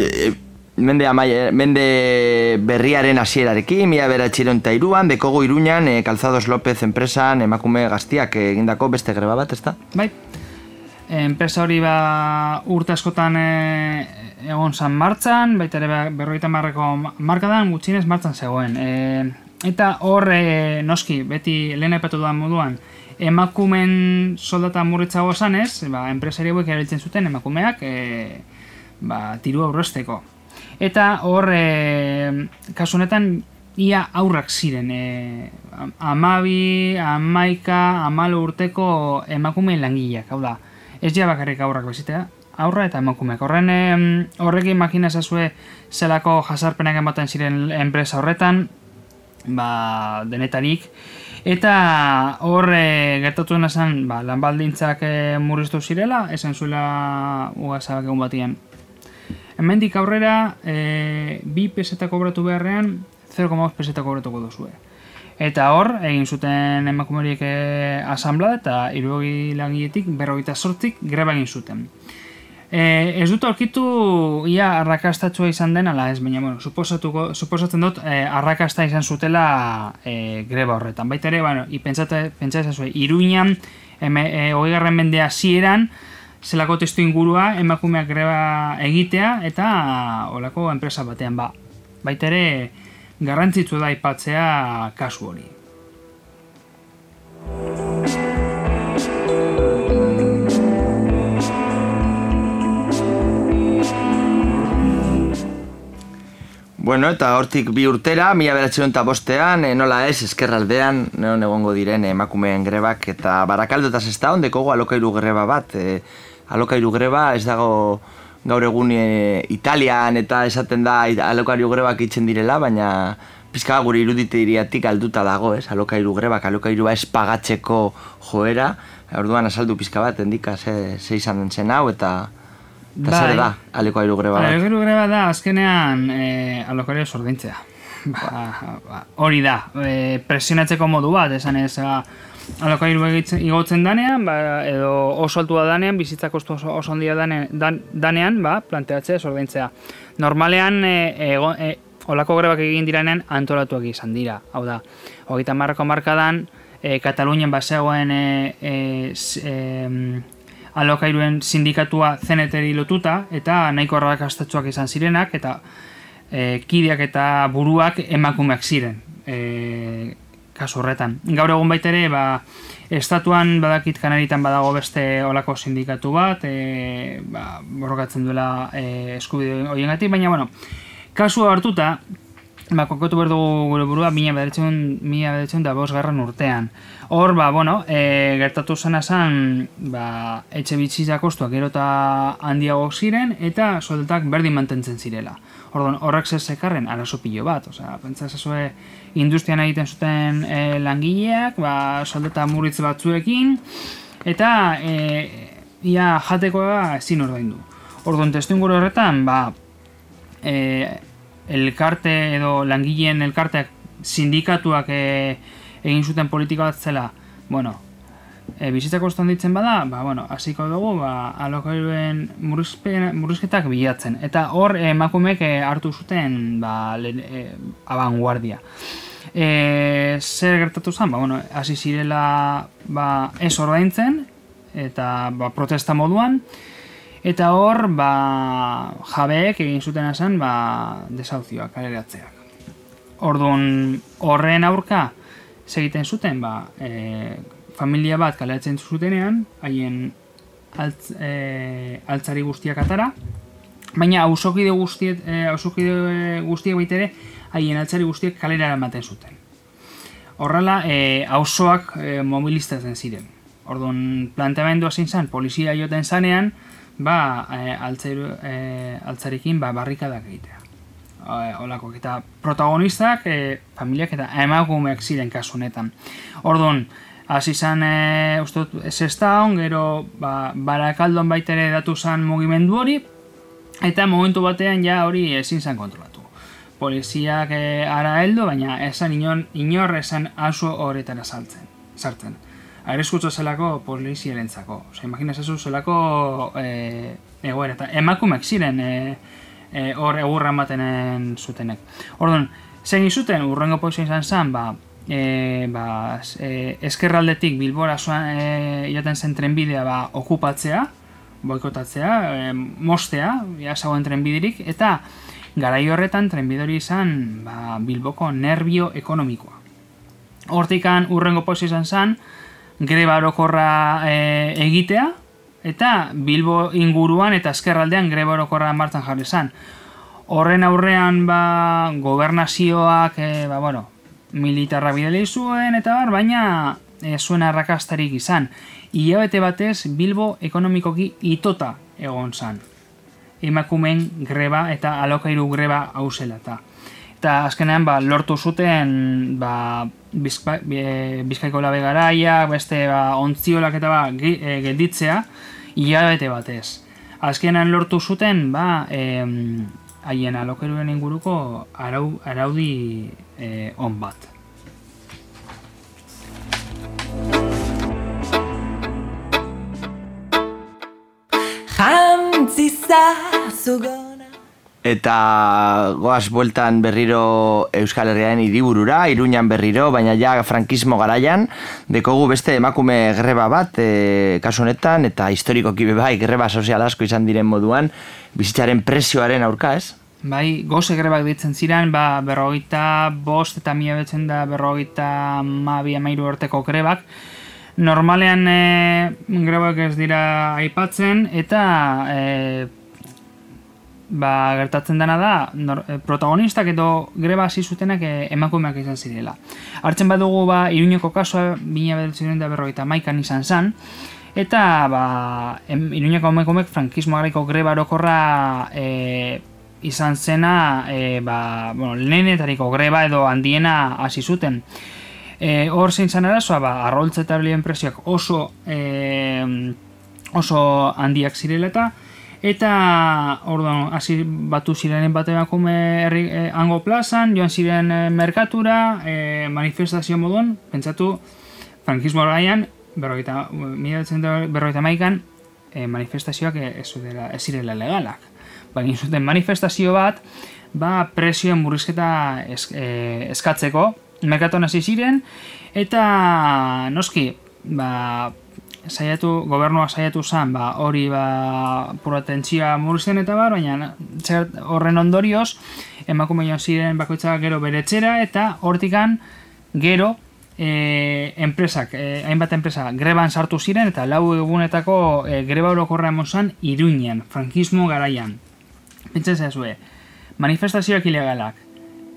mende berriaren hasierarekin, 1903an, dekogu Iruñan, Calzados López enpresan emakume gaztiak egindako beste greba bat, ezta? Bai. Enpresa hori urte askotan egon zan martxan, baita ere 50ko markadan gutxienez martxan zegoen. Eta hor, noski, beti lehen aipatu dudan moduan, emakumen soldata murritzago zanez, enpresari hauek erabiltzen zuten emakumeak tiru aurrezteko. Eta hor, kasu honetan, ia aurrak ziren, 12, 11, 14 urteko emakume langileak, hau da, ez ja bakarrik aurrak bezitea, aurra eta emakumeak. Horrekin makina ezazue zelako jasarpenak ematen ziren enpresa horretan, denetarik, eta hor gertatu dena zen, lan baldintzak murriztu zirela, esan zuela ugazabak egun batian. Hemendik aurrera, 2 peseta kobratu beharrean, 0,5 peseta kobratuko duzue. Eta hor, egin zuten emakumeriek asamblea eta 60 langiletik 58 greba egin zuten. Ez dut aurkitu ia arrakastatsua izan den, ala ez, baina suposatzen dut arrakasta izan zutela greba horretan. Baita ere, pentsa ezazue, Iruñan, 20. mende hasieran, zelako testu ingurua emakumeak greba egitea eta olako enpresa batean baita ere garrantzitsu da aipatzea kasu hori. Bueno, eta hortik 2 urtera, 1905an, nola ez, ezkerraldean, non egongo diren emakumeen grebak, eta Barakaldo eta Sestaon dekogu alokairu greba bat. Alokairu greba ez dago gaur egun Italian eta esaten da alokairu grebak itzen direla, baina pizka gure iruditiriatik alduta dago, ez? Alokairu grebak, alokairua ez pagatzeko joera, orduan azaldu pizka bat, endika ze izan zen hau, eta zer da alokairu greba bat? Alokairu greba da, azkenean alokairu sordaintzea. Hori da, presionatzeko modu bat, esan ez, alokairu igotzen danean, edo oso altua danean, bizitza kostu oso handia danean, planteatzea, ordaintzea. Normalean, olako grebak egin diranean antolatuak izan dira. Hau da, 30ko hamarkadan, Katalunian bazegoen alokairuen sindikatua CNT-ri lotuta, eta nahiko arrakastatsuak izan zirenak, eta kideak eta buruak emakumeak ziren. Kasu horretan. Gaur egun baita ere, estatuan badakit Kanaritan badago beste olako sindikatu bat, borrokatzen duela eskubide horiengatik, baina, kasu hartuta, kokotu behar dugu gure burua 1905 urtean. Hor, gertatu zena zen, etxe bitzitza kostuak gero eta handiago ziren, eta soldatak berdin mantentzen zirela. Horrek zekarren arazo pilo bat, pentsa zazue industrian egiten zuten langileak, soldata murritz batzuekin, eta ia jatekoa ezin ordaindu. Orduan, testuinguru horretan, elkarte edo langileen elkarteak sindikatuak egin zuten politika bat zela, bizitza kostan ditzen bada, hasiko dugu, alokairuen murrizketak bilatzen. Eta hor, emakumeek hartu zuten abanguardia. Zer gertatu zen? Hasi zirela ez ordaintzen, eta protesta moduan, eta hor, jabeek egin zuten zen desauzioak, kaleratzeak. Orduan, horren aurka, segiten zuten, familia bat kaleratzen zutenean, haien altzari guztiak atara, baina ausokide guztiek baitere, haien altzari guztiek kalera eramaten zuten. Horrela, auzoak mobilizatzen ziren. Orduan, planteamendua zein zen, polizia joten zanean, altzarikin barrikadak egitea. Olako, eta protagonistak, familiak eta emakumeak ziren kasu honetan. Orduan, hasi zen, uste dut, Sestaon, gero Barakaldon baitere datu zen mugimendu hori, eta momentu batean ja hori ezin zen kontrolatu. Poliziak ara heldu, baina esan inor esan auzo horretara sartzen. Areskutso zelako poliziarentzako. Imaginazezu zelako egoera, eta emakumeak ziren hor egurra ematen zutenek. Orduan, zein zuten, urrengo poizia izan zen, eskerraldetik Bilbora joaten zen trenbidea okupatzea, boikotatzea, mostea, zagoen trenbiderik, eta garai horretan trenbidori izan Bilboko nerbio ekonomikoa. Hortikan urrengo poizia izan zen, greba orokorra egitea, eta Bilbo inguruan eta eskerraldean greba orokorra martxan jarri zen. Horren aurrean gobernazioak militarra bidali zuen, eta baina zuen arrakastarik izan. Hilabete batez Bilbo ekonomikoki itota egon zen. Emakumeen greba eta alokairu greba hau zela. Eta azkenean lortu zuten Bizkaiko labe garaiak, beste ontziolak eta gelditzea hilabete batez. Azkenean lortu zuten haien alokairuen inguruko araudi on bat. Eta goaz bueltan berriro Euskal Herriaren hiriburura, Iruñan berriro, baina ja frankismo garaian, dekogu beste emakume greba bat, kasu honetan, eta historikoki greba sozial asko izan diren moduan, bizitzaren presioaren aurka, ez? Bai, goze grebak ditzen ziren, 45 eta 1953 urteko grebak. Normalean grebak ez dira aipatzen, eta gertatzen dena da, protagonistak edo greba hasi zutenak emakumeak izan zirela. Hartzen badugu Iruñeko kasua 1951an izan zen, eta Iruñeko emakumeek frankismo garaiko greba orokorra izan zena lehenetariko greba edo handiena hasi zuten. Hor zein zen arazoa, arroltza eta bilien presioak oso handiak zirela eta orduan hasi batu ziren bat emakume hango plazan, joan ziren merkatura, manifestazio moduan, pentsatu frankismo garaian, 1951an, manifestazioak ez zirela legalak. Baina zuten manifestazio bat, presioen murrizketa eskatzeko, merkatuan hasi ziren, eta noski, gobernuak saiatu zen, hori puratentzia murrizten eta baina horren ondorioz, emakume joan ziren bakoitzak gero bere etxera, eta hortikan gero enpresak, hainbat enpresa greban sartu ziren, eta 4 egunetako greba orokorra emon zen Iruñan, frankismo garaian. Pentsen zazue, manifestazioak ilegalak,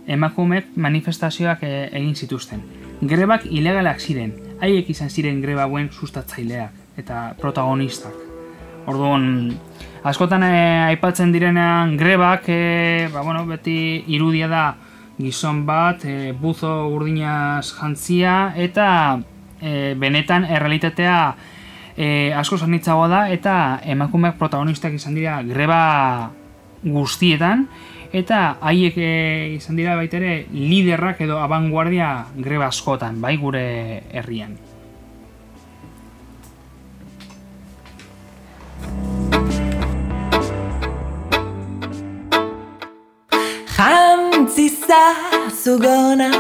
emakumeek manifestazioak egin zituzten. Grebak ilegalak ziren, haiek izan ziren greba hauen sustatzaileak eta protagonistak. Orduan, askotan aipatzen direnean grebak, beti irudia da gizon bat, buzo urdinaz jantzia, eta benetan errealitatea asko zanitzagoa da, eta emakumeak protagonistak izan dira greba guztietan, eta haiek izan dira baita ere liderrak edo abanguardia greba askotan, bai gure herrian. Jantzisa zugona,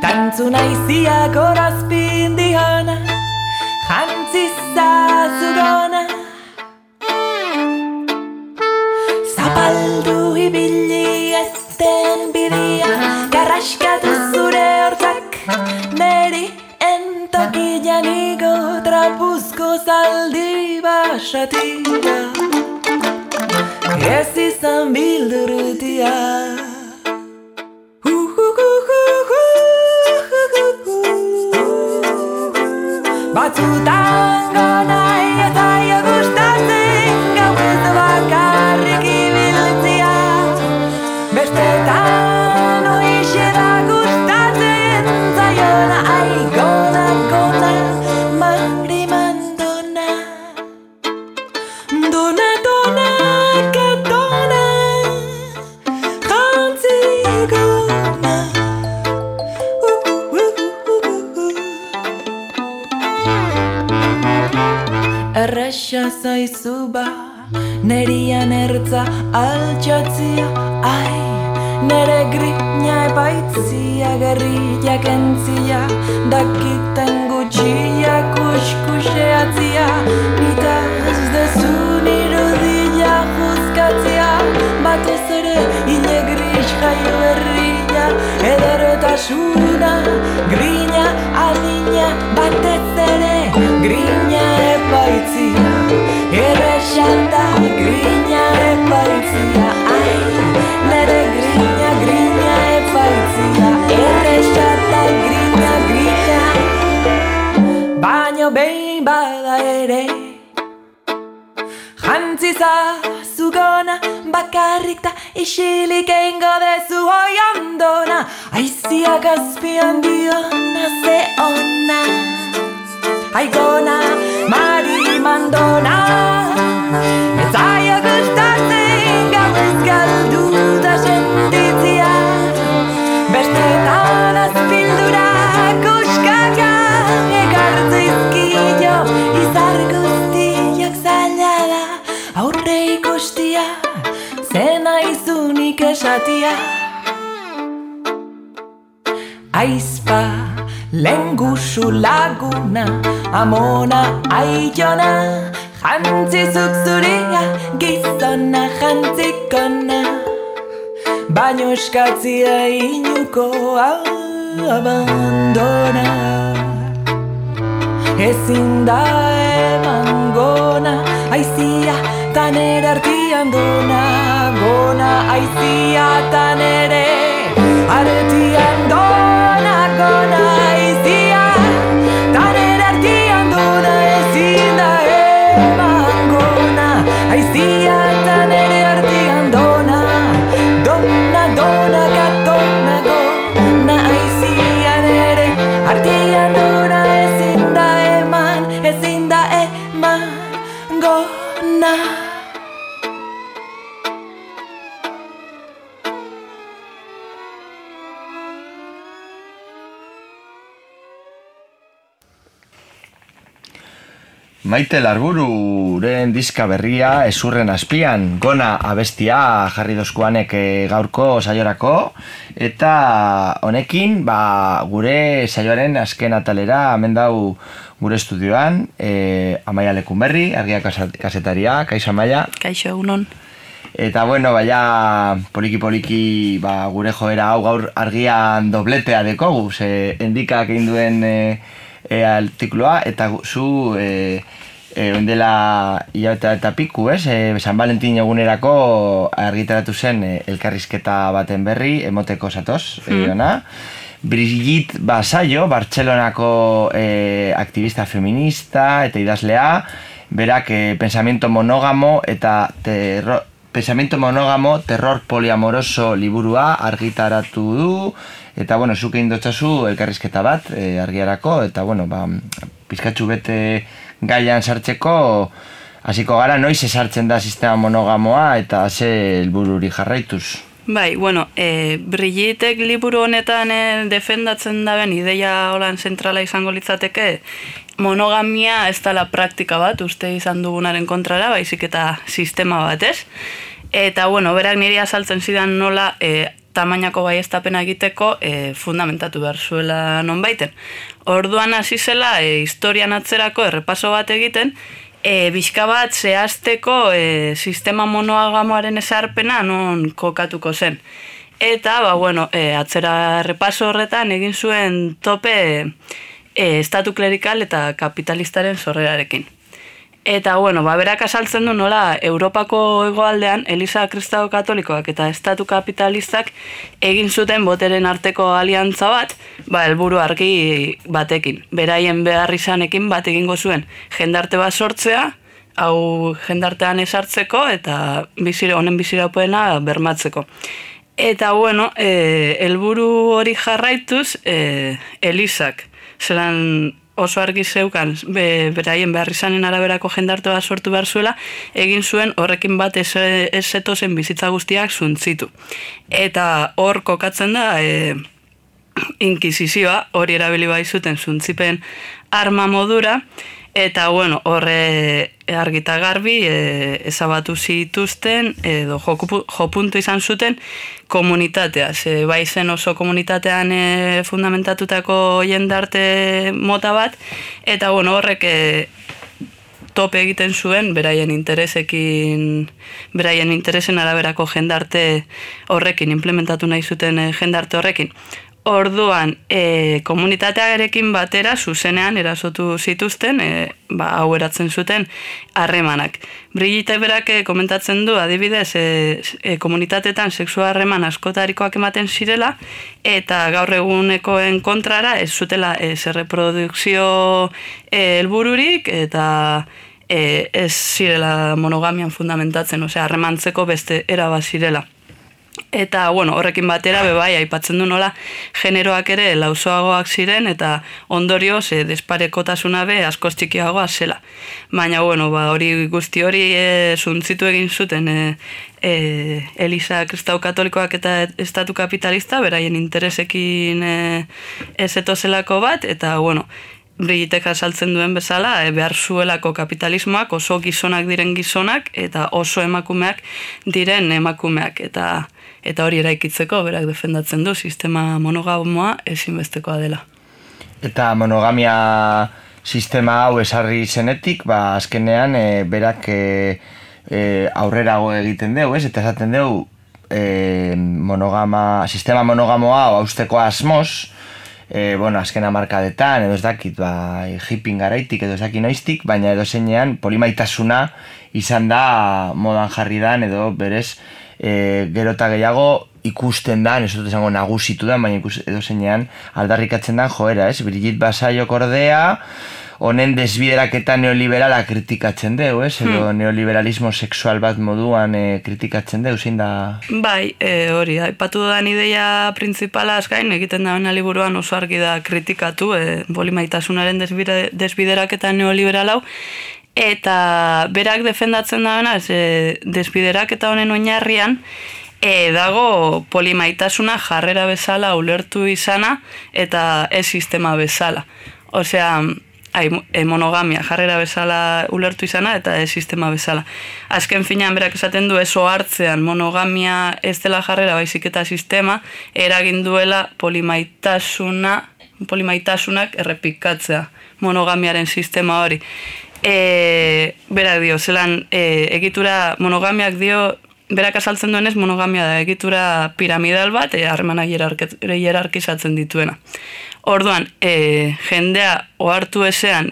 tantzu naiziak horazpin dihona. Jantzisa zugona, zapaldu ibili esten bidia, garraskatu zure hortzak, neri entokian igo trapuzko zaldi basatira. Ez izan bildurrutia. Batzutan gona eta jo gustatzen, gauez bakarrik ibiltzia. Bestetan oixe da gustatzen, zaiona gona, mariman dona. Dona, que dona, jantzi gona. Erraxa zaizu nerian ertza altxatzia, nere grina epaitzia, gerriak entzia, dakiten gutxia kuskuseatzia, nitaz dezun irudia juzkatzia, batez ere hile gris jaio berria, ederotasuna, grina adina, batez ere grina epaitzia, errexanda grina epaitzia, nere grina epaitzia, errexanda grina, baino behin bada ere. Jantziza zugona, bakarrik ta isilik eingo dezu hoi ondona, aiziak azpian diona ze ona. Aigona, mari mandona, ez zaio gustatzen gauez galduta sentitzia. Bestetan azpildura kuskaka, ekartzizkio izar guztiak zaila da. Aurre ikustia, zena izunik esatia. Aizpa, lengusu laguna, amona aiona, jantzizuk zuria, gizona jantzikona. Baino eskatzia inuko abandona. Ezin da eman gona, aizia tanere artian dona. Gona aizia tanere artian dona. Gona aizia tanere artian dona. Ezin da eman gona, aizia tanere artian dona. Dona, dona, gatona, gona aizia nere artian dona. Ezin da eman gona. Maite Larbururen diska berria Ezurren azpian, Gona abestia jarri dozkuanek gaurko saiorako, eta honekin gure saioaren azken atalera hemen dau gure estudioan, Amaia Lekunberri, Argia kasetaria, kaixo Amaia. Kaixo, egunon. Eta bueno, poliki gure joera hau gaur Argian dobletea dekogu, ze endikak egin duen artikuloa, eta zu oindela hilabete eta piku, San Valentin egunerako argitaratu zen elkarrizketa baten berri, emoteko zatoz, Brigitte Basayo, Bartzelonako aktivista feminista eta idazlea, berak pensamiento monógamo, terror poliamoroso liburua argitaratu du, eta bueno, zuke indotzazu elkarrizketa bat argiarako, eta bueno, pizkatxu bete gaian sartzeko, hasiko gara, noiz esartzen da sistema monogamoa eta ze helbururi jarraituz. Bai, bueno, Brigittek liburu honetan defendatzen daben ideia holan zentrala izango litzateke, monogamia ez dela praktika bat, uste izan dugunaren kontrara, baizik eta sistema bat, ez? Eta, bueno, berak niri azaltzen zidan nola tamainako baiestapena egiteko fundamentatu behar zuela nonbaiten. Orduan hasi zela historian atzerako errepaso bat egiten, bizka bat zehazteko sistema monogamoaren ezarpena non kokatuko zen. Eta, atzera errepaso horretan egin zuen tope estatu klerikal eta kapitalistaren sorrerarekin. Eta, berak azaltzen du nola Europako hegoaldean Eliza Kristau Katolikoak eta estatu kapitalistak egin zuten boteren arteko aliantza bat, helburu argi batekin. Beraien behar izanekin bat egingo zuen jendarte bat sortzea, hau jendartean esartzeko eta honen biziraupena bermatzeko. Eta, helburu hori jarraituz, Elizak, zelan oso argi zeukan beraien behar izanen araberako jendarte bat sortu behar zuela, egin zuen horrekin bat ez zetozen bizitza guztiak zuntzitu. Eta hor kokatzen da inkisizioa, hori erabili bai zuten zuntzipen arma modura, eta horre argita garbi ezabatu zituzten edo jopuntu izan zuten komunitatea. Bai zen oso komunitatean fundamentatutako jendarte mota bat, eta horrek tope egiten zuen beraien interesen araberako jendarte horrekin, implementatu nahi zuten jendarte horrekin. Orduan, komunitatearekin batera zuzenean erasotu zituzten, hau eratzen zuten harremanak. Brigitte berak komentatzen du, adibidez, komunitateetan sexua harreman askotarikoak ematen zirela, eta gaur egunekoen kontrara ez zutela erreprodukzio helbururik, eta ez zirela monogamian fundamentatzen, harremantzeko beste eraba zirela. Eta, horrekin batera, aipatzen du nola, generoak ere lausoagoak ziren, eta ondorioz, desparekotasuna askoz txikiagoa zela. Baina, hori guzti hori zuntzitu egin zuten Eliza Kristau Katolikoak eta estatu kapitalista, beraien interesekin ezetozelako bat, eta, Brigittek azaltzen duen bezala, behar zuelako kapitalismoak oso gizonak diren gizonak, eta oso emakumeak diren emakumeak, eta hori eraikitzeko berak defendatzen du sistema monogamoa ezinbestekoa dela. Eta monogamia sistema hau esarri zenetik, azkenean berak aurrerago egiten dugu, eta esaten dugu sistema monogamoa hausteko asmoz, azken hamarkadetan, edo ez dakit, hipping garaitik, edo ez dakit noiztik, baina edo zeinean polimaitasuna izan da modan jarri dan, edo berez gero eta gehiago ikusten da, ez dut esango nagusitu da, baina edo zeinean aldarrikatzen da joera, ez? Brigitte Basayo kordea, honen desbideraketa neoliberala kritikatzen deu, ez? Edo neoliberalismo sexual bat moduan kritikatzen deu, zein da? Bai, hori, aipatu dudan ideia printzipala gain egiten da liburuan oso argi da kritikatu, polimaitasunaren desbideraketa neoliberal hau, eta berak defendatzen da desbideraketa honen oinarrian, dago polimaitasuna jarrera bezala ulertu izana eta ez sistema bezala. Osea, monogamia jarrera bezala ulertu izana eta sistema bezala. Azken finean berak esaten du eso hartzean monogamia ez dela jarrera baizik eta sistema eragin duela polimaitasunak errepikatzea monogamiaren sistema hori. Berak dio, zelan egitura monogamiak dio, berak azaltzen duenez monogamia da egitura piramidal bat, harremanak hierarkizatzen dituena. Orduan, jendea ohartu ezean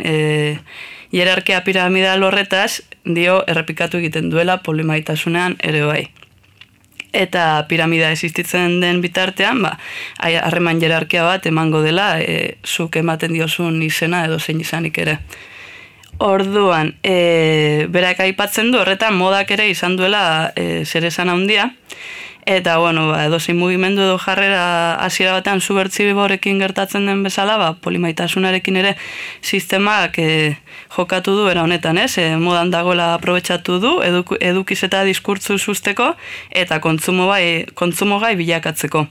hierarkia piramidal horretaz, dio errepikatu egiten duela polimaitasunean ere bai. Eta piramida existitzen den bitartean, harreman hierarkia bat emango dela, zuk ematen diozun izena edo zein izanik ere. Orduan, berak aipatzen du, horretan modak ere izan duela zer esan handia, eta, edozein mugimendu edo jarrera hasiera batean subbertsiborekin gertatzen den bezala, polimaitasunarekin ere sistemak jokatu du era honetan, modan dagoela aprobetxatu du, edukiz eta diskurtzu susteko, eta kontsumo gai bilakatzeko.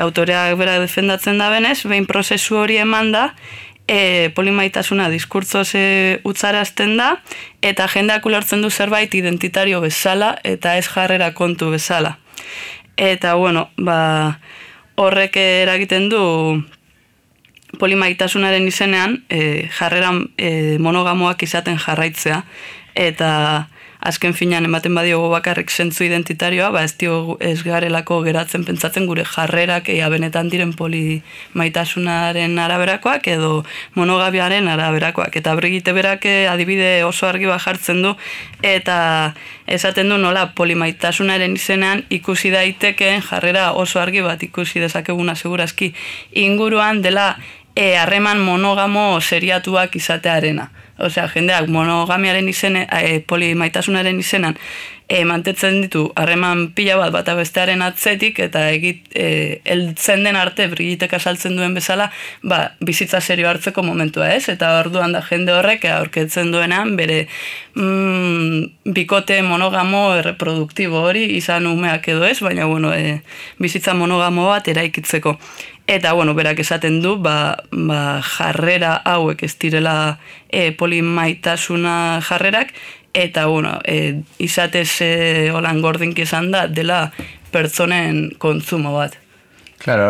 Autoreak berak defendatzen da benez, behin prozesu hori eman da, polimaitasuna diskurtzoz utzarazten da, eta jendeak ulertzen du zerbait identitario bezala, eta ez jarrera kontu bezala. Eta, horrek eragiten du polimaitasunaren izenean, jarreran monogamoak izaten jarraitzea, eta azken finean ematen badiogu bakarrik zentzu identitarioa, ez garelako geratzen pentsatzen gure jarrerak benetan diren polimaitasunaren araberakoak edo monogabiaren araberakoak. Eta Brigitte berak adibide oso argi jartzen du, eta esaten du nola polimaitasunaren izenean ikusi daitekeen jarrera oso argi bat ikusi dezakeguna segurazki inguruan dela harreman monogamo seriatuak izatearena. Osea, jendeak monogamiaren izene, polimaitasunaren izenan mantetzen ditu harreman pila bat bata bestearen atzetik eta heltzen den arte Brigittek azaltzen duen bezala bizitza serio hartzeko momentua ez, eta orduan da jende horrek aurketzen duenan bere bikote monogamo erreproduktibo hori izan umeak edo ez, baina bizitza monogamo bat eraikitzeko. Eta, berak esaten du, jarrera hauek ez direla polimaitasuna jarrerak, eta, izatez holan gordinki esan da, dela pertsonen kontsumo bat. Claro,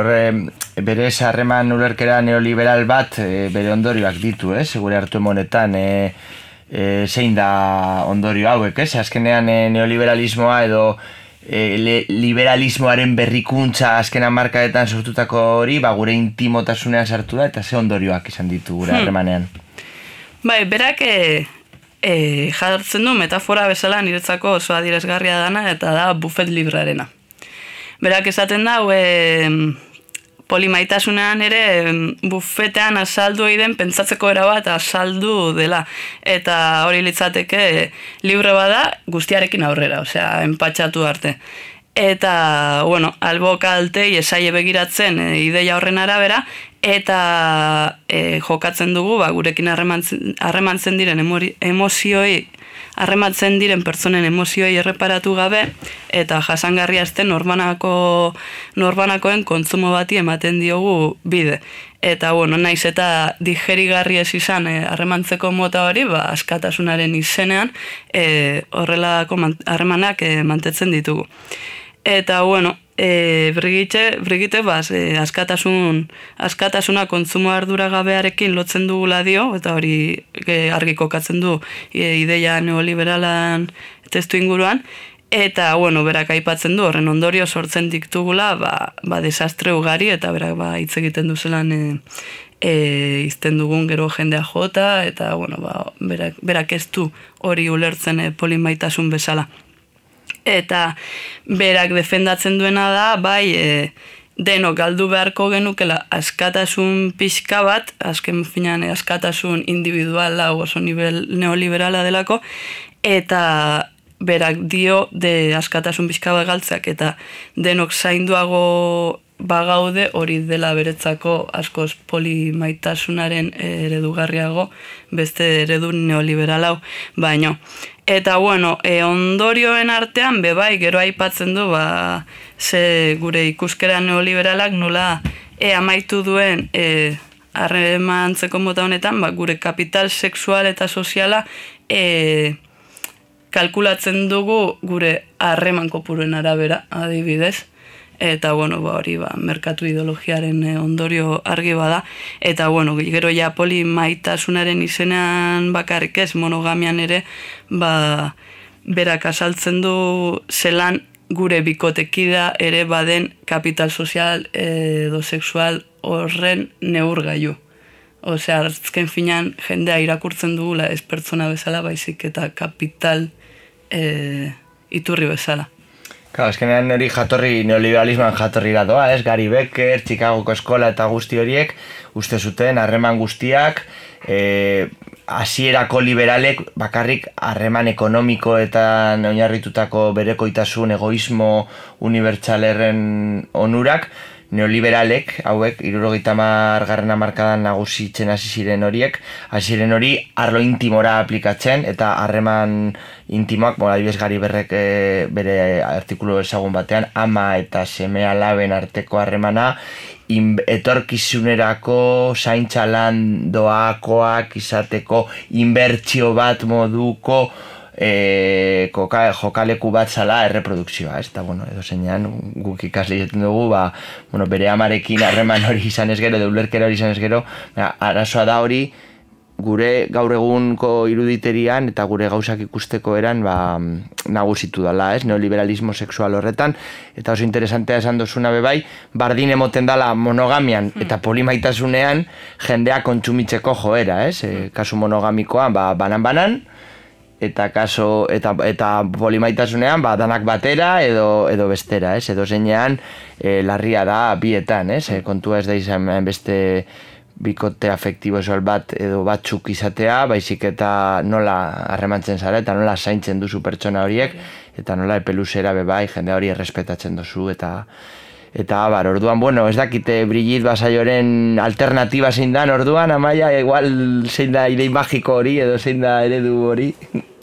bere harreman ulerkera neoliberal bat bere ondorioak ditu, gure hartu emonetan, zein da ondorio hauek, azkenean neoliberalismoa edo liberalismoaren berrikuntza azken hamarkadetan sortutako hori, gure intimotasunean sartu da, eta ze ondorioak izan ditu gure harremanean. Berak jartzen du metafora bezala niretzako oso adierazgarria dana, eta da buffet librearena. Berak esaten da, polimaitasunean ere bufetean azaldu egiten pentsatzeko erabat azaldu dela. Eta hori litzateke libre bada guztiarekin aurrera, osea, enpatxatu arte. Eta, albo kaltei esaie begiratzen ideia horren arabera, eta jokatzen dugu, gurekin harremantzen diren emozioi, harrematzen diren pertsonen emozioi erreparatu gabe, eta jasangarria azten norbanakoen kontsumo bati ematen diogu bide. Eta, naiz eta digerigarri ez izan harremantzeko mota hori, askatasunaren izenean horrelako harremanak mantetzen ditugu. Eta, Brigitte askatasuna kontsumo arduragabearekin lotzen dugula dio, eta hori argi kokatzen du ideia neoliberalan testu inguruan, eta berak aipatzen du horren ondorio sortzen diktugula desastre ugari, eta berak hitz egiten duzelan izten dugun gero jendea jota, eta berak ez du hori ulertzen polimaitasun bezala. Eta berak defendatzen duena da, denok galdu beharko genukela askatasun pixka bat, azken finean askatasun individuala oso neoliberala delako, eta berak dio askatasun pixka bat galtzeak, eta denok zainduago bagaude hori dela beretzako askoz polimaitasunaren eredugarriago beste eredu neoliberal hau baino. Eta ondorioen artean gero aipatzen du ze gure ikuskera neoliberalak nola amaitu duen harremantzeko mota honetan, gure kapital sexual eta soziala kalkulatzen dugu gure harreman kopuruen arabera, adibidez. Eta, hori, merkatu ideologiaren ondorio argi bada. Eta, gero ja polimaitasunaren izenean bakarrik ez, monogamian ere, berak azaltzen du zelan gure bikotekida ere baden kapital sozial edo sexual horren neurgailu. Osea, azken finean jendea irakurtzen dugula ez pertsona bezala, baizik eta kapital iturri bezala. Claro, azkenean hori neoliberalismoan jatorrira doa, ez? Gary Becker, Chicagoko eskola eta guzti horiek, uste zuten harreman guztiak, hasierako liberalek bakarrik harreman ekonomikoetan oinarritutako berekoitasun, egoismo unibertsalerren onurak, neoliberalek, hauek, 70. hamarkadan nagusitzen hasi ziren horiek, arlo intimora aplikatzen, eta harreman intimoak, adibidez Gary Berrek bere artikulu ezagun batean, ama eta seme alaben arteko harremana, etorkizunerako zaintza lan doakoak izateko inbertsio bat moduko jokaleku bat zala erreprodukzioa, ez? Eta, edo zeinan, guk ikasle jaten dugu, bere amarekin harreman hori izan ez gero, edo ulerkera hori izan ez gero, arazoa da hori, gure gaur egunko iruditerian eta gure gauzak ikusteko eran nagusitu dela, ez? Neoliberalismo sexual horretan, eta oso interesantea esan dozuna bebai, bardin emoten dala monogamian eta polimaitasunean jendea kontsumitzeko joera, ez? Kasu monogamikoan, banan-banan, eta polimaitasunean danak batera edo bestera, ez? Edo zeinean larria da bietan, ez? Kontua ez da izan beste bikote afektibo esol bat edo batzuk izatea, baizik eta nola harremantzen zara eta nola zaintzen duzu pertsona horiek, eta nola epeluzera bebai jende hori errespetatzen duzu, eta orduan, ez dakite Brigitte Basayoren alternatiba zein dan, orduan, Amaia, igual zein da idei magiko hori edo zein da eredu hori.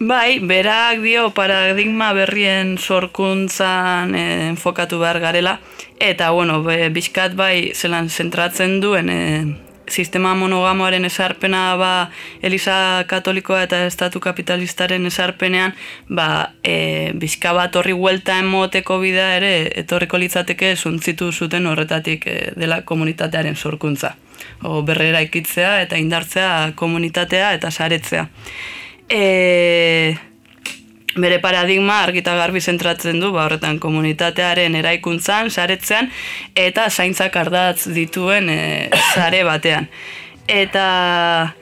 Bai, berak dio paradigma berrien sorkuntzan enfokatu behar garela, eta, bizkat bai zelan zentratzen duen sistema monogamoaren esarpena Eliza Katolikoa eta Estatu Kapitalistaren esarpenean bizka bat horri huelta emoteko bidea ere etorriko litzateke zuntzitu zuten horretatik dela komunitatearen sorkuntza. Berrera ikitzea eta indartzea komunitatea eta saretzea. Bere paradigma argita garbi zentratzen du, horretan komunitatearen eraikuntzan, saretzean, eta zaintzak ardatz dituen sare batean. Eta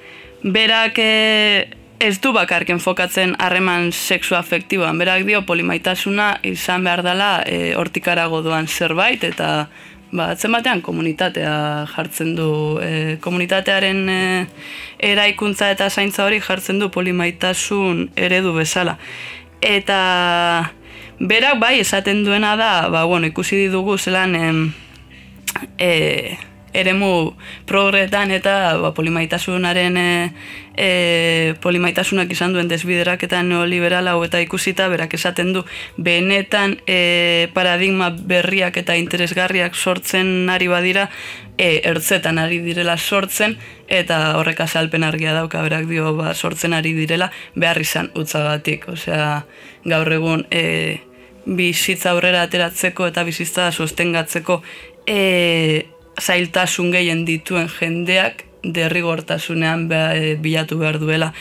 berak ez du bakarken fokatzen harreman sexu-afektiboan, berak dio polimaitasuna izan behar dela hortikarago doan zerbait, eta atzen batean komunitatea jartzen du, komunitatearen eraikuntza eta zaintza hori jartzen du polimaitasun eredu bezala. Eta berak bai esaten duena da, ikusi dugu zelan eremu progretan eta polimaitasunaren polimaitasunak izan duen desbideraketa neoliberal hau eta ikusita berak esaten du benetan paradigma berriak eta interesgarriak sortzen ari badira ertzetan ari direla sortzen eta horrek azalpen argia dauka berak dio sortzen ari direla behar izan utzagatik. Osea, gaur egun bizitza aurrera ateratzeko eta bizitza sostengatzeko zailtasun gehien dituen jendeak derrigortasunean bilatu behar duela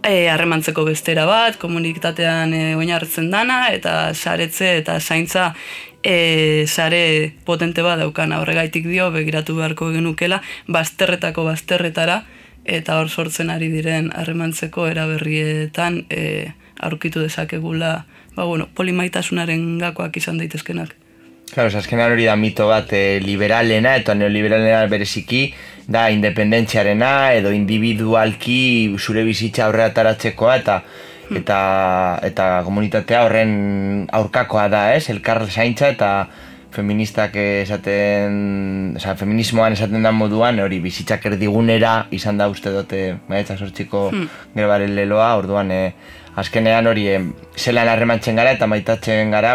harremantzeko bestera bat, komunitatean oinarritzen dana, eta saretze eta zaintza sare potente bat daukana. Horregaitik dio, begiratu beharko genukela, bazterretako bazterretara, eta hor sortzen ari diren harremantzeko eraberrietan aurkitu dezakegula polimaitasunaren gakoak izan daitezkenak. Claro, azkenan hori da mito bat liberalena eta neoliberalena bereziki da independentziarena edo individualki zure bizitza aurrera ataratzekoa eta komunitatea horren aurkakoa da, ez? Elkar zaintza eta feministak feminismoan esaten da moduan hori bizitzak erdigunera izan da uste dute maiatzak sortziko grebaren leloa, orduan azkenean hori zelan harremantzen gara eta maitatzen gara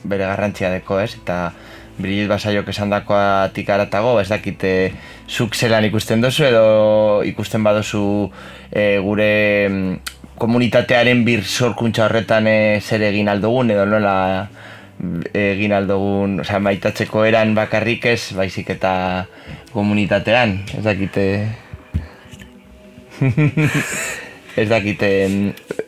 bere garrantzia deko, ez? Eta Brigitte Basaiok esandakoatik haratago, ez dakite zuk zelan ikusten dozu edo ikusten badozu gure komunitatearen sorkuntza horretan zer egin aldugun edo nola egin aldugun, osea, maitatzeko eran bakarrik ez, baizik eta komunitatean, ez dakite... Ez dakite,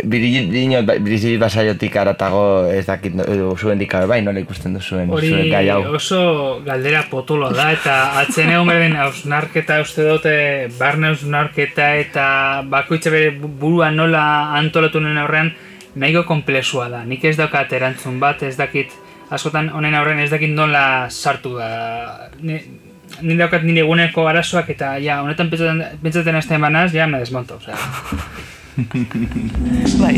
Brigitte Basaiotik haratago ez dakit zuen dikabe bai, nola ikusten duzuen gai hau. Hori oso galdera potolo da, eta atzen egon behar den hausnarketa uste dute, barne hausnarketa eta bakoitza bere burua nola antolatu nuen aurrean nahiko komplexua da. Nik ez daukat erantzun bat, ez dakit, askotan honen aurrean ez dakit nola sartu da. Ni daukat nire eguneko arazoak eta ja, honetan pentsatzen azten banaz, ja, me desmonto, osea. Bai,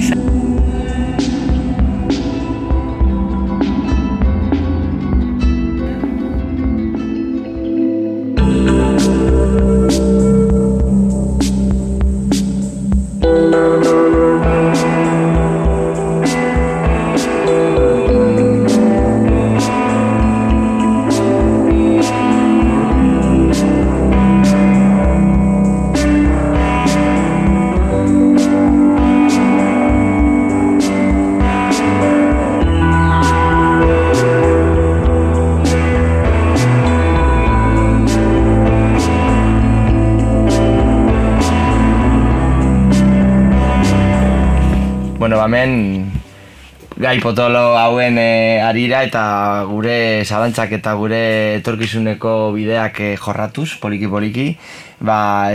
hemen gai potolo hauen arira eta gure zalantzak eta gure etorkizuneko bideak jorratuz, poliki-poliki,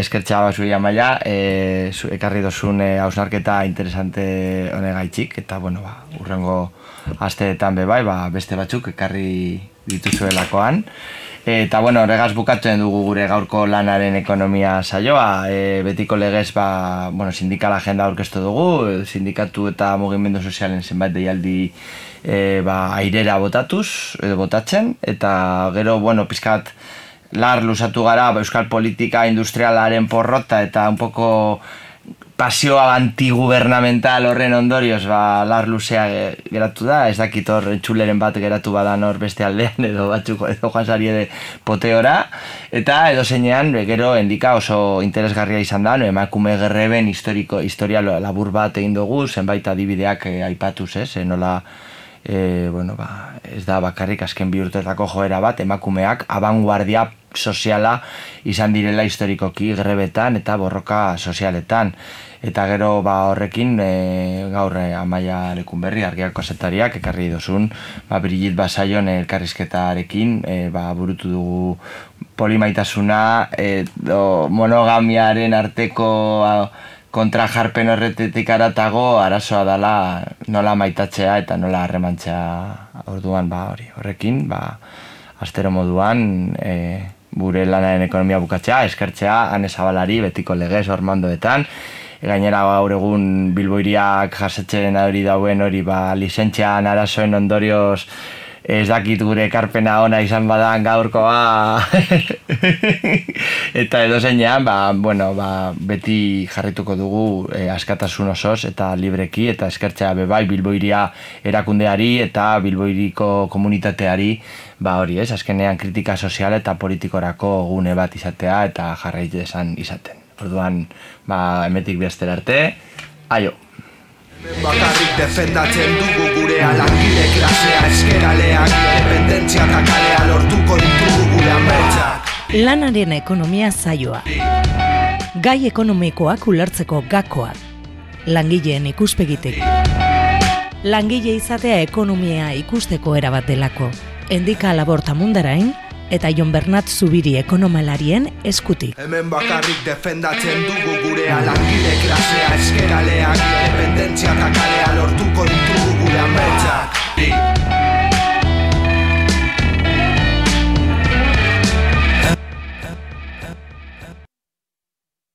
eskertza basui amaia, ekarri dozun hausnarketa interesante honegaitxik, eta urrengo asteetan bebai, beste batzuk ekarri dituzuelakoan. Eta horregaz bukatzen dugu gure gaurko lanaren ekonomia saioa, betiko legez sindikal agenda aurkeztu dugu, sindikatu eta mugimendu sozialen zenbait deialdi airera botatuz, edo botatzen, eta gero, pizkat lar lusatu gara euskal politika industrialaren porrota eta un poco pasioa antigubernamental horren ondorioz lar luzea geratu da, ez dakit hor txuleren bat geratu badan hor beste aldean edo batzuko edo joan zari poteora, eta edo zeinean gero endika oso interesgarria izan da, emakume gerreben historia labur bat egin dugu, zenbait adibideak aipatuz, nola ez da bakarrik azken bi urtetako joera bat, emakumeak abanguardia soziala izan direla historikoki grebetan eta borroka sozialetan. Eta gero horrekin gaur Amaia Lekunberri, Argiako kazetariak ekarri dozun Brigitte Basaion elkarrizketarekin burutu dugu polimaitasuna monogamiaren arteko kontrajarpen horretetik aratago arazoa dela nola maitatzea eta nola harremantzea orduan horrekin astero moduan gure lanaren ekonomia bukatzea, eskertzea Ane Zabalari, betiko legez ormandoetan, gainera gaur egun Bilboiriak jasetzen hori dauen hori lizentzian arazoen ondorioz ez dakit gure ekarpena ona izan badan gaurkoa eta edo zeinean beti jarrituko dugu askatasun osoz eta libreki eta eskertzea bebai Bilboiria erakundeari eta Bilboiriko komunitateari hori ez, azkenean kritika sozial eta politikorako gune bat izatea eta jarraitzen izaten. Orduan, emetik bestera arte, aio! Bakarrik defendatzen dugu gurea langile klasea eskeraleak independentzia eta kalea lortuko ditugu gure ametsak. Lanaren ekonomia saioa. Gai ekonomikoak ulertzeko gakoak. Langileen ikuspegitik. Langile izatea ekonomia ikusteko erabat delako. Endika Laborta Mundarain eta Jon Bernat Zubiri ekonomalarien eskutik. Hemen bakarrik defendatzen dugu gurea langile klasea eskeraleak independentzia eta kalea lortuko ditugu gure ametsak.